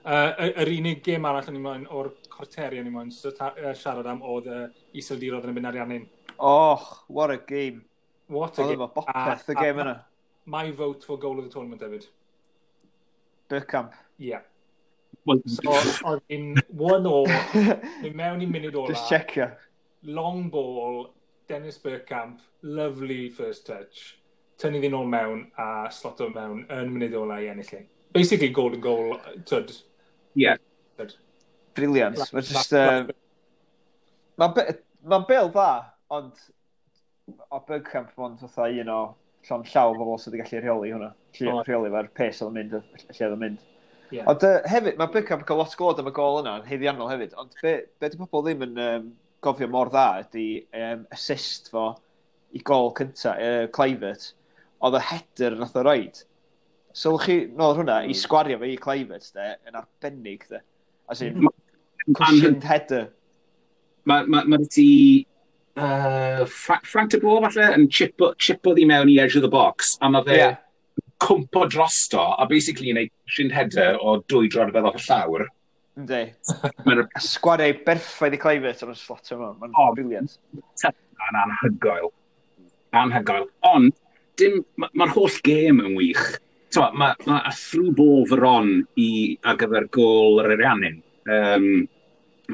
Uh, yr unig gêm arall o'n i moyn, o'r cwarteri o'n i moyn siarad am oedd uh, Iseldiroedd yn erbyn Ariannin. Oh, what a game. What a Oedd game. efo bopeth y A- game a- yna. My vote for goal of the tournament hefyd. Bergkamp. Yeah. Well, So, oedd hi'n one all, mynd mewn i munud ola. Just checio. Long ball, Dennis Bergkamp, lovely first touch. Tynnu ddyn ôl mewn a sloto mewn yn munud ola i ennill e. Basically golden goal, tyd. Yeah. Tyd. Brilliant. Mae'n just... Um, Mae'n be ma bel dda, ond o Bergkamp mond fatha un o llond llaw o bobl sydd wedi gallu rheoli hwnna. Gallu O. rheoli fe'r pace oedd yn mynd, lle oedd yn mynd. Yeah. Ond uh, hefyd, mae Bergkamp yn cael lot o glod am y gol yna, yn haeddiannol hefyd, ond be, be di pobl ddim yn um, gofio mor dda ydy um, assist fo i gol cynta, uh, Kluivert, oedd y header nath o roid. Sylwch chi nôl ar hwnna, i sgwario fe i Kluivert, de, yn arbennig, de. As in, cushioned header. Mae ma, ma ti uh, Fra Frank de Boer falle yn chipo, chipo ddi mewn i edge of the box a mae fe Ie. yeah. cwmpo drosto a basically yn ei cushioned header o dwy droedfedd off y llawr. Yndi. Mae'n A sgwario i berffaith i Kluivert am y slot yma. Mae'n O. brilliant. yn anhygoel. Anhygoel. Ond, dim, mae'r ma holl gêm yn wych. Mae ma a through ball Veron i, ar gyfer gôl yr Ariannin. Um,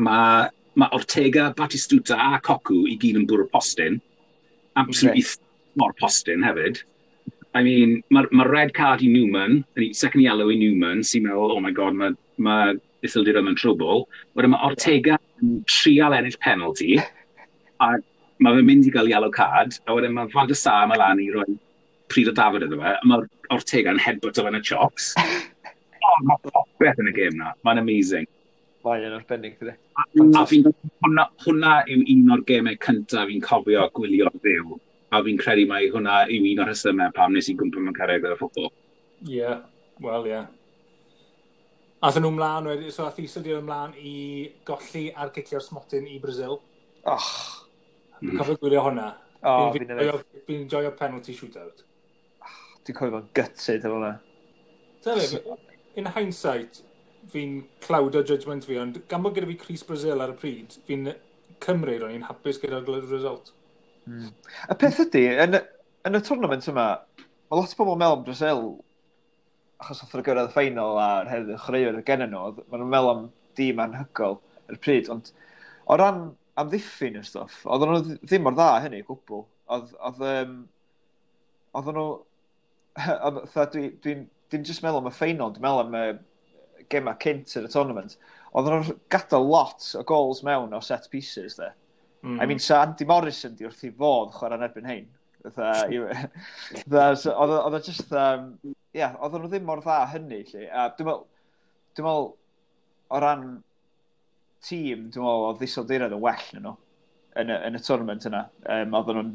mae ma Ortega, Batistuta a Cocu i gyd yn bwrw postyn. Absolutely okay. mor postyn hefyd. I mean, mae'r ma red card i Newman, second yellow i Newman, sy'n meddwl, "Oh my God, mae ma Iseldiroedd mewn trwbl." Wedyn mae Ortega yn trial ennill penalty, a mae fe'n mynd i gael yellow card, a wedyn mae Van der Sar mae lan i roi pryd o dafod iddo fe, a mae'r Ortega yn headbutt o fe yn y chops. Oh, mae popeth yn y gêm na. Mae'n amazing. Mae yn arbennig, dydy. A fi'n hwnna, hwnna yw un o'r gemau cyntaf fi'n cofio gwylio fyw. A fi'n credu mai hwnna yw un o'r rhesymau pam nes i gwmpa mewn cariad gyda ffwbol. Ie, yeah. Wel, ie. Yeah. Athyn nhw mlaen wedyn, so ath Iseldir ymlaen i golli ar gicio'r smotyn i Brazil. Och. Mm. Cofio gwylio hwnna. Oh, Fi'n fi'n joio fi'n joio penalty shootout. Dwi'n cofio fo'n gutted efo hwnna. Dyna fe, in hindsight, fi'n cloudo judgment fi, ond gan bod gyda fi crys Brazil ar y pryd, fi'n cymryd o'n i'n hapus gyda'r result. Mm. Y peth ydy, yn, y- yn y tournament yma, mae lot o bobl yn meddwl am Brazil, achos oedd nhw gyrraedd y final a'r hefyd chwaraewyr gen nhw, oedd- maen nhw'n meddwl am dîm anhygoel ar y pryd, ond o ran amddiffyn y stwff, oedden nhw ddim mor dda hynny o gwbl. Oedd, oedd, um, oedden nhw, oedd, fatha, dwi, dwi'n dwi'n just meddwl am y final, dwi'n meddwl am y gema cynt yn y tournament. Oedden nhw'n gadael lot o goals mewn o set pieces, de. Mm. I mean, sa Andy Morrison di wrth i fodd chwarae yn erbyn hein. Fatha, i- fatha, so Oedd o- oedd o just, um, yeah, oedden nhw ddim mor dda hynny, lle. A dwi'n meddwl, dwi'n meddwl, o ran tîm, dwi'n meddwl, oedd Iseldiroedd yn well na nhw yn y, yn y tournament yna. Um, oedden nhw'n,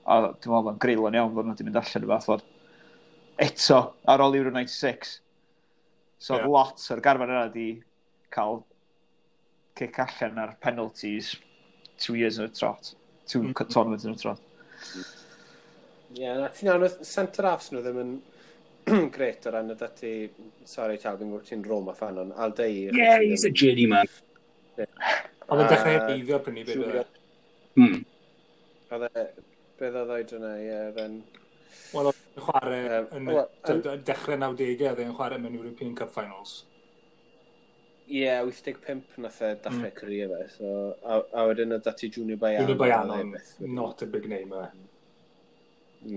o- dwi'n meddwl, oedd o'n greulon iawn, oedden nhw wedi mynd allan y fath ffordd. Eto, ar ôl Euro naw deg chwech. So oedd Ie. lot o'r garfan yna di cael kick allan ar penalties two years in a trot. Two Mm. mm. tournaments in a trot. Ie, yeah, na ti'n iawn, oedd centre halves nhw ddim yn gret o ran y dati, sorry Tal, fi'n gwybod ti'n Roma fan, ond Aldair. Yeah, he's a journeyman. Oedd yn dechrau A heiddio prynu beth Julio- oedd e. Hmm. Oedd e, beth oedd oedran e, ie, oedd e'n. Wel, oedd e'n chwarae Yym, yn wel, y dechrau nawdegau, oedd e'n chwarae mewn European Cup Finals. Ie, yeah, wyth deg pump nath e dechrau mm. career fe, so, a, a wedyn oedd dati Junior Baiano. Junior Baiano, oedd e byth wedi- not a big name e.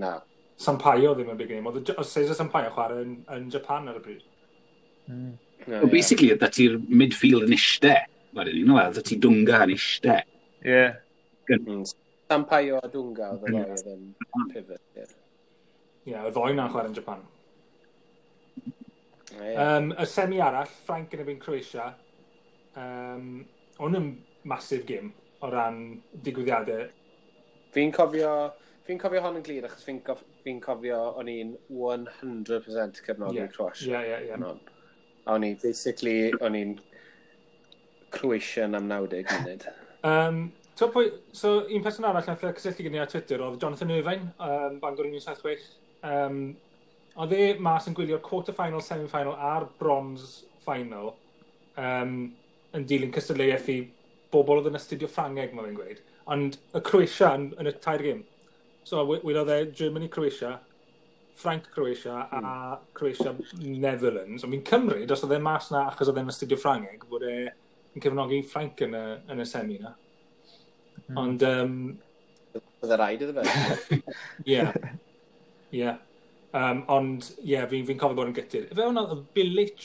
Na. Sampaio ddim yn big name. Oedd oedd Cesar Sampaio chwarae yn, yn Japan ar y pryd. Mm. No, Well, basically, oedd ti midfield yn ishte. Wedyn, you know, oedd ti Dunga yn ishte. Yeah. Mm. Sampaio a Dunga oedd y ddau oedd yn pivot, ie. Ie, yeah, y ddoi na'n chwarae yn Japan. Ie. Um, y semi arall, Ffrainc yn erbyn Croatia. Um, hwn yn massive game o ran digwyddiadau. Fi'n cofio, fi'n cofio hon yn glir achos fi'n gof, fi cofio o'n i'n cant y cant cefnogi Ie. Croatia. Ie, ie, ie. Hon. A o'n i, basically, o'n i'n Croatian am naw deg munud. Um, so, pwy, so, un person arall nath cysylltu gyda ni ar Twitter oedd Jonathan Irvine, um, Bangor un wyth saith chwech. Um, oedd e mas yn gwylio'r quarter-final, semi-final a'r bronze final um, yn dilyn cystadleuaeth i bobl oedd yn astudio Ffrangeg, mae fe'n gweud. Ond y Croatia yn, yn y tair gêm. So, we- welodd e Germany Croatia, Ffrainc Croatia a Croatia Netherlands. Ond fi'n cymryd, os oedd e mas na achos oedd e'n astudio Ffrangeg, bod e yn cefnogi Ffrainc yn y, yn y semi na. Mm. Ond, um, Oedd e rhaid iddo fe. ie. Ie. Um, ond, ie, yeah, fi'n fi cofio bod yn gutted. Fe hwnna, oedd Bilic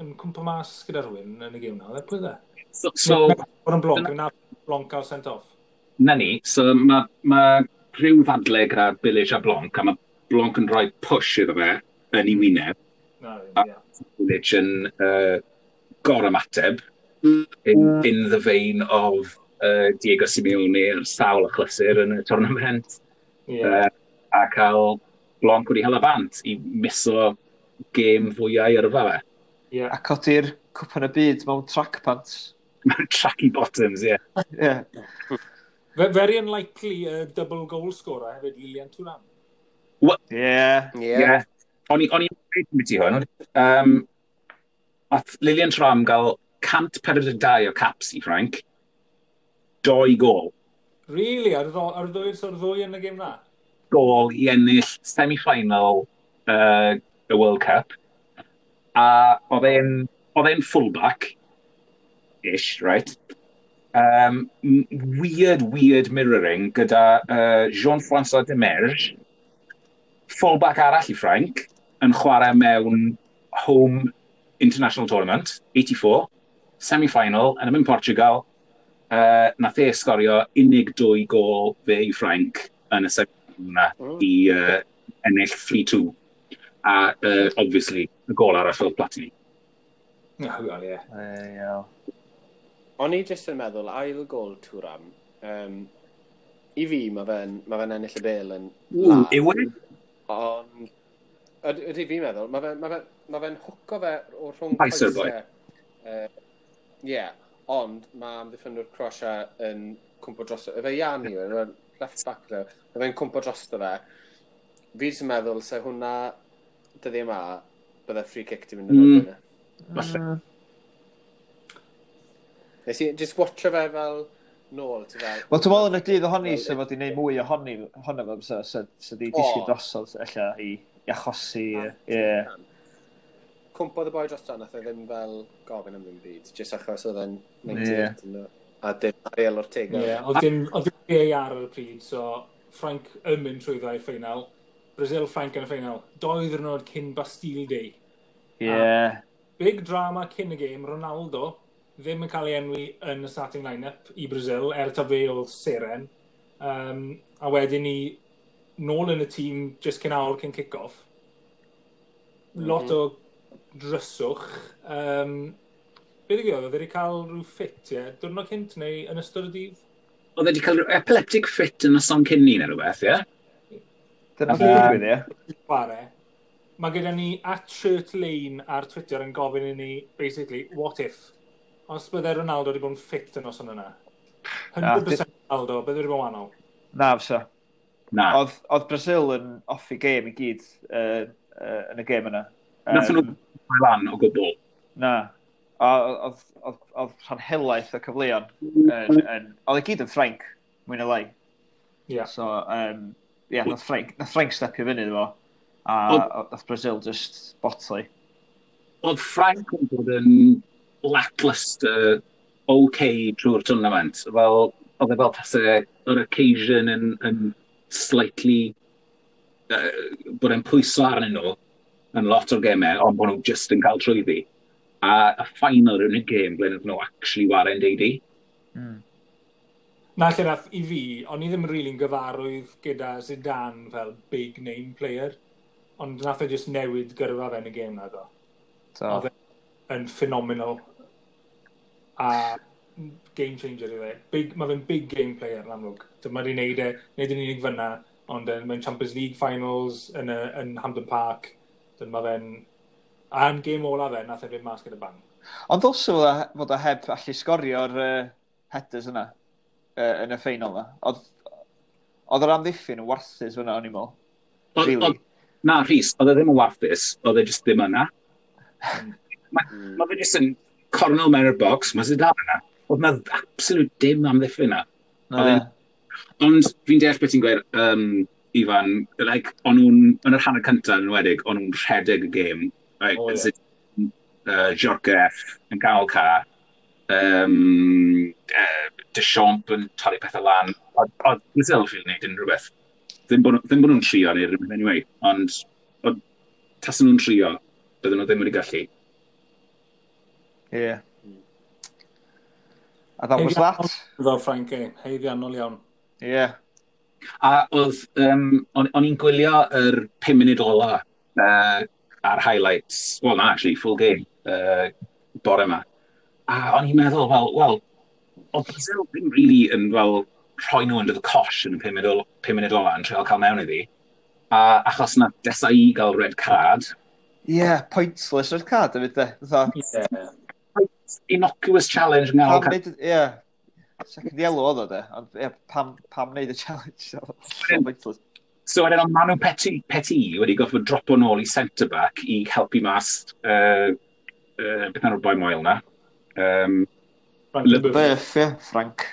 yn cwmpa mas gyda rhywun yn y gêm na, oedd e? Pwy oedd e? So, so Bod yn Blanc, na Blanc cael sent off. Na ni, so mae ma rhyw ddadle gyda Bilic a Blanc, a mae Blanc yn rhoi push iddo fe yn ei wyneb. Na, A- ie. Bilic yn uh, gorymateb in, in the vein of uh, Diego Simeone ar sawl achlysur yn y tournament. Ie. Uh, a cael Blanc wedi hala bant i miso gêm fwyau yrfa fe. Ie. A codi'r cwpan y byd mewn track pants. Mewn tracky bottoms, ie. Yeah. Yeah. Ve- Very unlikely uh, double goal scorer hefyd, Lilian Thuram. Yeah. Ie. Yeah. O'n i- o'n i'n dweud beth i hwn. Um, Ath Lilian Thuram gael cant pedwar deg dau o caps i Ffrainc. Doi gol. Really? Ar y ddo- ar y ddwy, so'r ddwy yn y gêm na? Gol i ennill semi-final uh, y World Cup. A oedd e'n oedd e'n fullback ish, right? Um, m- weird, weird mirroring gyda uh, Jean-François Domergue, fullback arall i Ffrainc, yn chwarae mewn home international tournament, eighty-four, semi-final, yn ymwneud Portugal, uh, nath e sgorio unig dwy gol fe i Ffrainc yn y semi-final yna Mm. i uh, ennill three two. A, uh, obviously, y gol arall oedd Platini. Oh, well, ie. Ie. O'n i jyst yn meddwl, ail gol Thuram, um, i fi, mae fe'n ma fe ennill y bel yn Ww, yw e? Ond, ydy ydy fi'n meddwl, mae fe'n ma fe, ma fe hwco fe o rhwng Coesau'r boi. Ie, yeah, ond mae amddiffynwr Croatia yn cwmpo drosto. Efe Yanni, yw e, left back dde, mae fe'n cwmpo drosto fe. Fi jyst yn meddwl, se hwnna dyddi yma, bydde free kick di mynd yn Mm. erbyn e. Falle. Nes i just watcho fe fel nôl, ti fel. Wel, dwi'n meddwl yn y dydd ohoni, sef fod i wneud mwy ohoni, ohono fo, so, so, so di disgyn O. drosodd, ella, i, i achosi, ie. Cwmpodd y boi drosto, nath e ddim fel gofyn am ddim byd, jyst achos oedd e'n naw deg wyth yeah. A dim Ariel Ortega. Ie, oedd dim, oedd dim V A R ar y pryd, so Ffrainc yn mynd trwyddo i'r ffeinal. Brazil, Ffrainc yn y ffeinal. Doi ddwrnod cyn Bastille Day. Ie. Big drama cyn y gêm, Ronaldo ddim yn cael ei enwi yn y starting line-up i Brazil, er ta fe oedd seren. Um, a wedyn ni nôl yn y tîm just cyn awr cyn kick-off. Lot mm -hmm. o dryswch. Um, be ddigwyddodd? Oedd e wedi cael rhyw ffit, ie? Diwrnod cynt neu yn ystod y dydd? Oedd e wedi cael rhyw epileptic fit yn y son cyn ni neu rhywbeth, ie? Dyna beth digwydd, ie. Chwarae. Mae gyda ni at Shirt Lane ar Twitter yn gofyn i ni, basically, what if? Os bydde Ronaldo wedi bod yn ffit yn noson yna. cant y cant Ronaldo, bydde wedi bod yn wahanol. Na, fysa. Na. Oedd, oedd Brazil yn off i gêm i gyd uh, uh, yn y gêm yna. Nathon nhw rhoi lan o gwbl. Na. A Oedd, oedd, oedd rhan helaeth o cyfleon. Yn, yn, oedd e gyd yn Ffrainc, mwy na lai. Ie. So, um, yeah, nath Ffrainc, nath Ffrainc stepio fyny iddo fo. A Oedd- nath Brazil just botlu. Oedd Ffrainc yn bod yn lackluster okay trwy'r tournament. Fel, oedd e fel tase yr occasion yn, yn slightly uh, bod e'n pwyso arnyn nhw yn lot o'r gemau, ond bod nhw just yn cael trwyddi. A y final yw'r unig gêm ble nath nhw actually ware'n deidi. Mm. Na lle nath i fi, o'n i ddim really'n gyfarwydd gyda Zidane fel big name player, ond nath e just newid gyrfa fe yn y gêm na do. So, Oedd e yn phenomenal. A game changer i fe. Big, mae fe'n big game player yn amlwg. Mae wedi neud e, neud yn unig fyna, ond yn, mewn Champions League finals yn, y, yn Hampden Park, dyn mae fe'n. A yn game ola fe, nath e fynd mas gyda bang. Ond ddylse fod o- fod o heb allu sgorio'r uh, headers yna uh, yn y ffeinal yna. Oedd oedd yr amddiffyn yn warthus fyna, o'n i'n meddwl. Oedd- Really? oedd- Na, Rhys, oedd e ddim yn warthus, oedd e just ddim yna. Mae Mm. ma fe just yn cornel mewn i'r box, mae Zidane yna. Oedd na absolute dim amddiffyn yna. Na. Oedd e'n- Ond fi'n deall beth ti'n gweud, um, Ifan, like, o'n nhw'n, yn yr hanner cyntaf yn enwedig, o'n nhw'n rhedeg y gêm. Like, O, ie. Zidane, uh, Djorkaeff yn gael ca, um, uh, Deschamps yn torri pethau lan. Oedd oedd Brazil ffili wneud unrhyw beth. Ddim bod, ddim bod nhw'n trio neu rhywbeth anyway, ond oedd, tasen nhw'n trio, bydden nhw ddim wedi gallu. Ie. A that was that. Fel Ffrainc, e, haeddiannol iawn. Ie. Yeah. A oedd, um, o'n o'n i'n gwylio yr pum munud ola uh, ar highlights, well na, actually, full game, uh, bore yma. A o'n i'n meddwl, fel, well, oedd Brazil ddim really yn, fel, rhoi nhw under the cosh yn y pum munud ola, pum munud ola yn treial cael mewn iddi. A achos na Desailly gael red card, Ie, yeah, pointless red card hefyd de. Fatha, Yeah. Innocuous challenge yn gael pam neud, ie. Second yellow oedd o de, ond ie, pam, pam neud y challenge? So pointless. So wedyn oedd Manu Petit, Petit wedi gorfod dropo nôl i centre-back i helpu mas uh, uh, beth enw'r boi moel na. Um, Frank Le- Leboeuf. Buff, ie, Frank.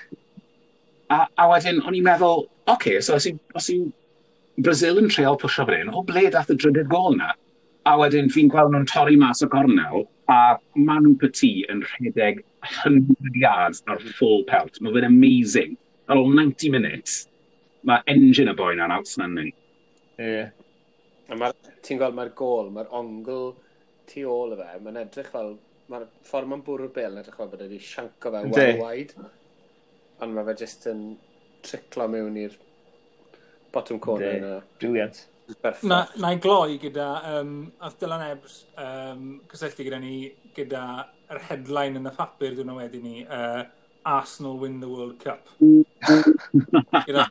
a, a wedyn o'n i'n meddwl, oce, okay, so os yw, os yw Brazil yn treial pwsio fan hyn, o ble dath y drydydd gol na? A wedyn fi'n gweld nhw'n torri mas o gornel, a Manu Petit yn rhedeg one hundred yards ar full pelt. Mae fe'n amazing. Ar ôl ninety minutes, mae engine y boi na'n outstanding. Ie. A ma, ti'n gweld mae'r gol, mae'r ongl tu ôl y fe, mae'n edrych fel, mae'r ffordd mae'n bwrw'r bel yn edrych fel bod e wedi sianco fe Yndi. well wide. Ond mae fe jyst yn triclo mewn i'r bottom corner Yndi. yna. Brilliant. Na, na i gloi gyda, um, ath Dylan Ebbs um, cysylltu gyda ni gyda yr headline yn y papur dwi'n wedyn ni, uh, Arsenal win the World Cup. Gyda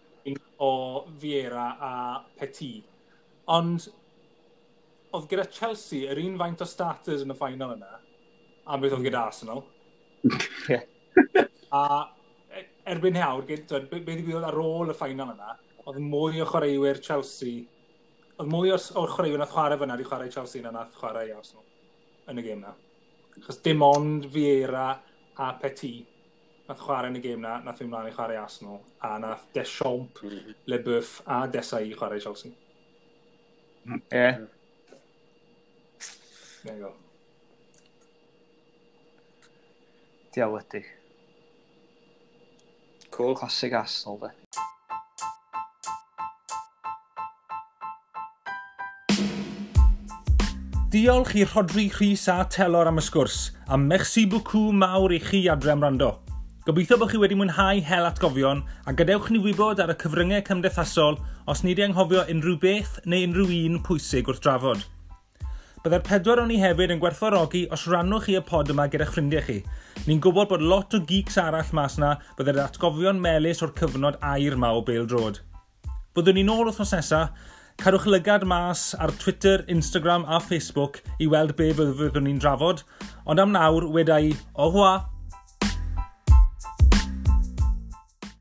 o Vieira a Petit. Ond oedd gyda Chelsea yr un faint o starters yn y final yna, a beth oedd gyda Arsenal. Yeah. A erbyn nawr, beth ddigwyddodd ar ôl y final yna, oedd mwy o chwaraewyr Chelsea, oedd mwy o'r, o'r chwaraewyr nath chwarae fyna wedi chwarae Chelsea na nath chwarae Arsenal yn y gêm na. Achos dim ond Vieira a Petit nath chwarae yn y gêm na, nath fynd mlaen i chwarae Arsenal, a nath Deschamps, mm -hmm. Leboeuf a Desailly chwarae Chelsea. Ie. Yeah. There you go. Diawledig. Cool. Classic Arsenal, de. Diolch i Rhodri, Rhys a Telor am y sgwrs, a merci beaucoup mawr i chi adre am wrando. Gobeithio bod chi wedi mwynhau hel atgofion, a gadewch ni wybod ar y cyfryngau cymdeithasol os ni wedi anghofio unrhyw beth neu unrhyw un pwysig wrth drafod. Byddai'r pedwar o'n ni hefyd yn gwerthfawrogi os rannwch chi y pod yma gyda'ch ffrindiau chi. Ni'n gwybod bod lot o geeks arall mas na byddai'r atgofion melys o'r cyfnod aur ma o bêl-droed. Byddwn ni'n ôl wythnos nesaf. Cadwch lygad mas ar Twitter, Instagram a Facebook i weld be fyddwn ni'n drafod, ond am nawr, weda i, au revoir!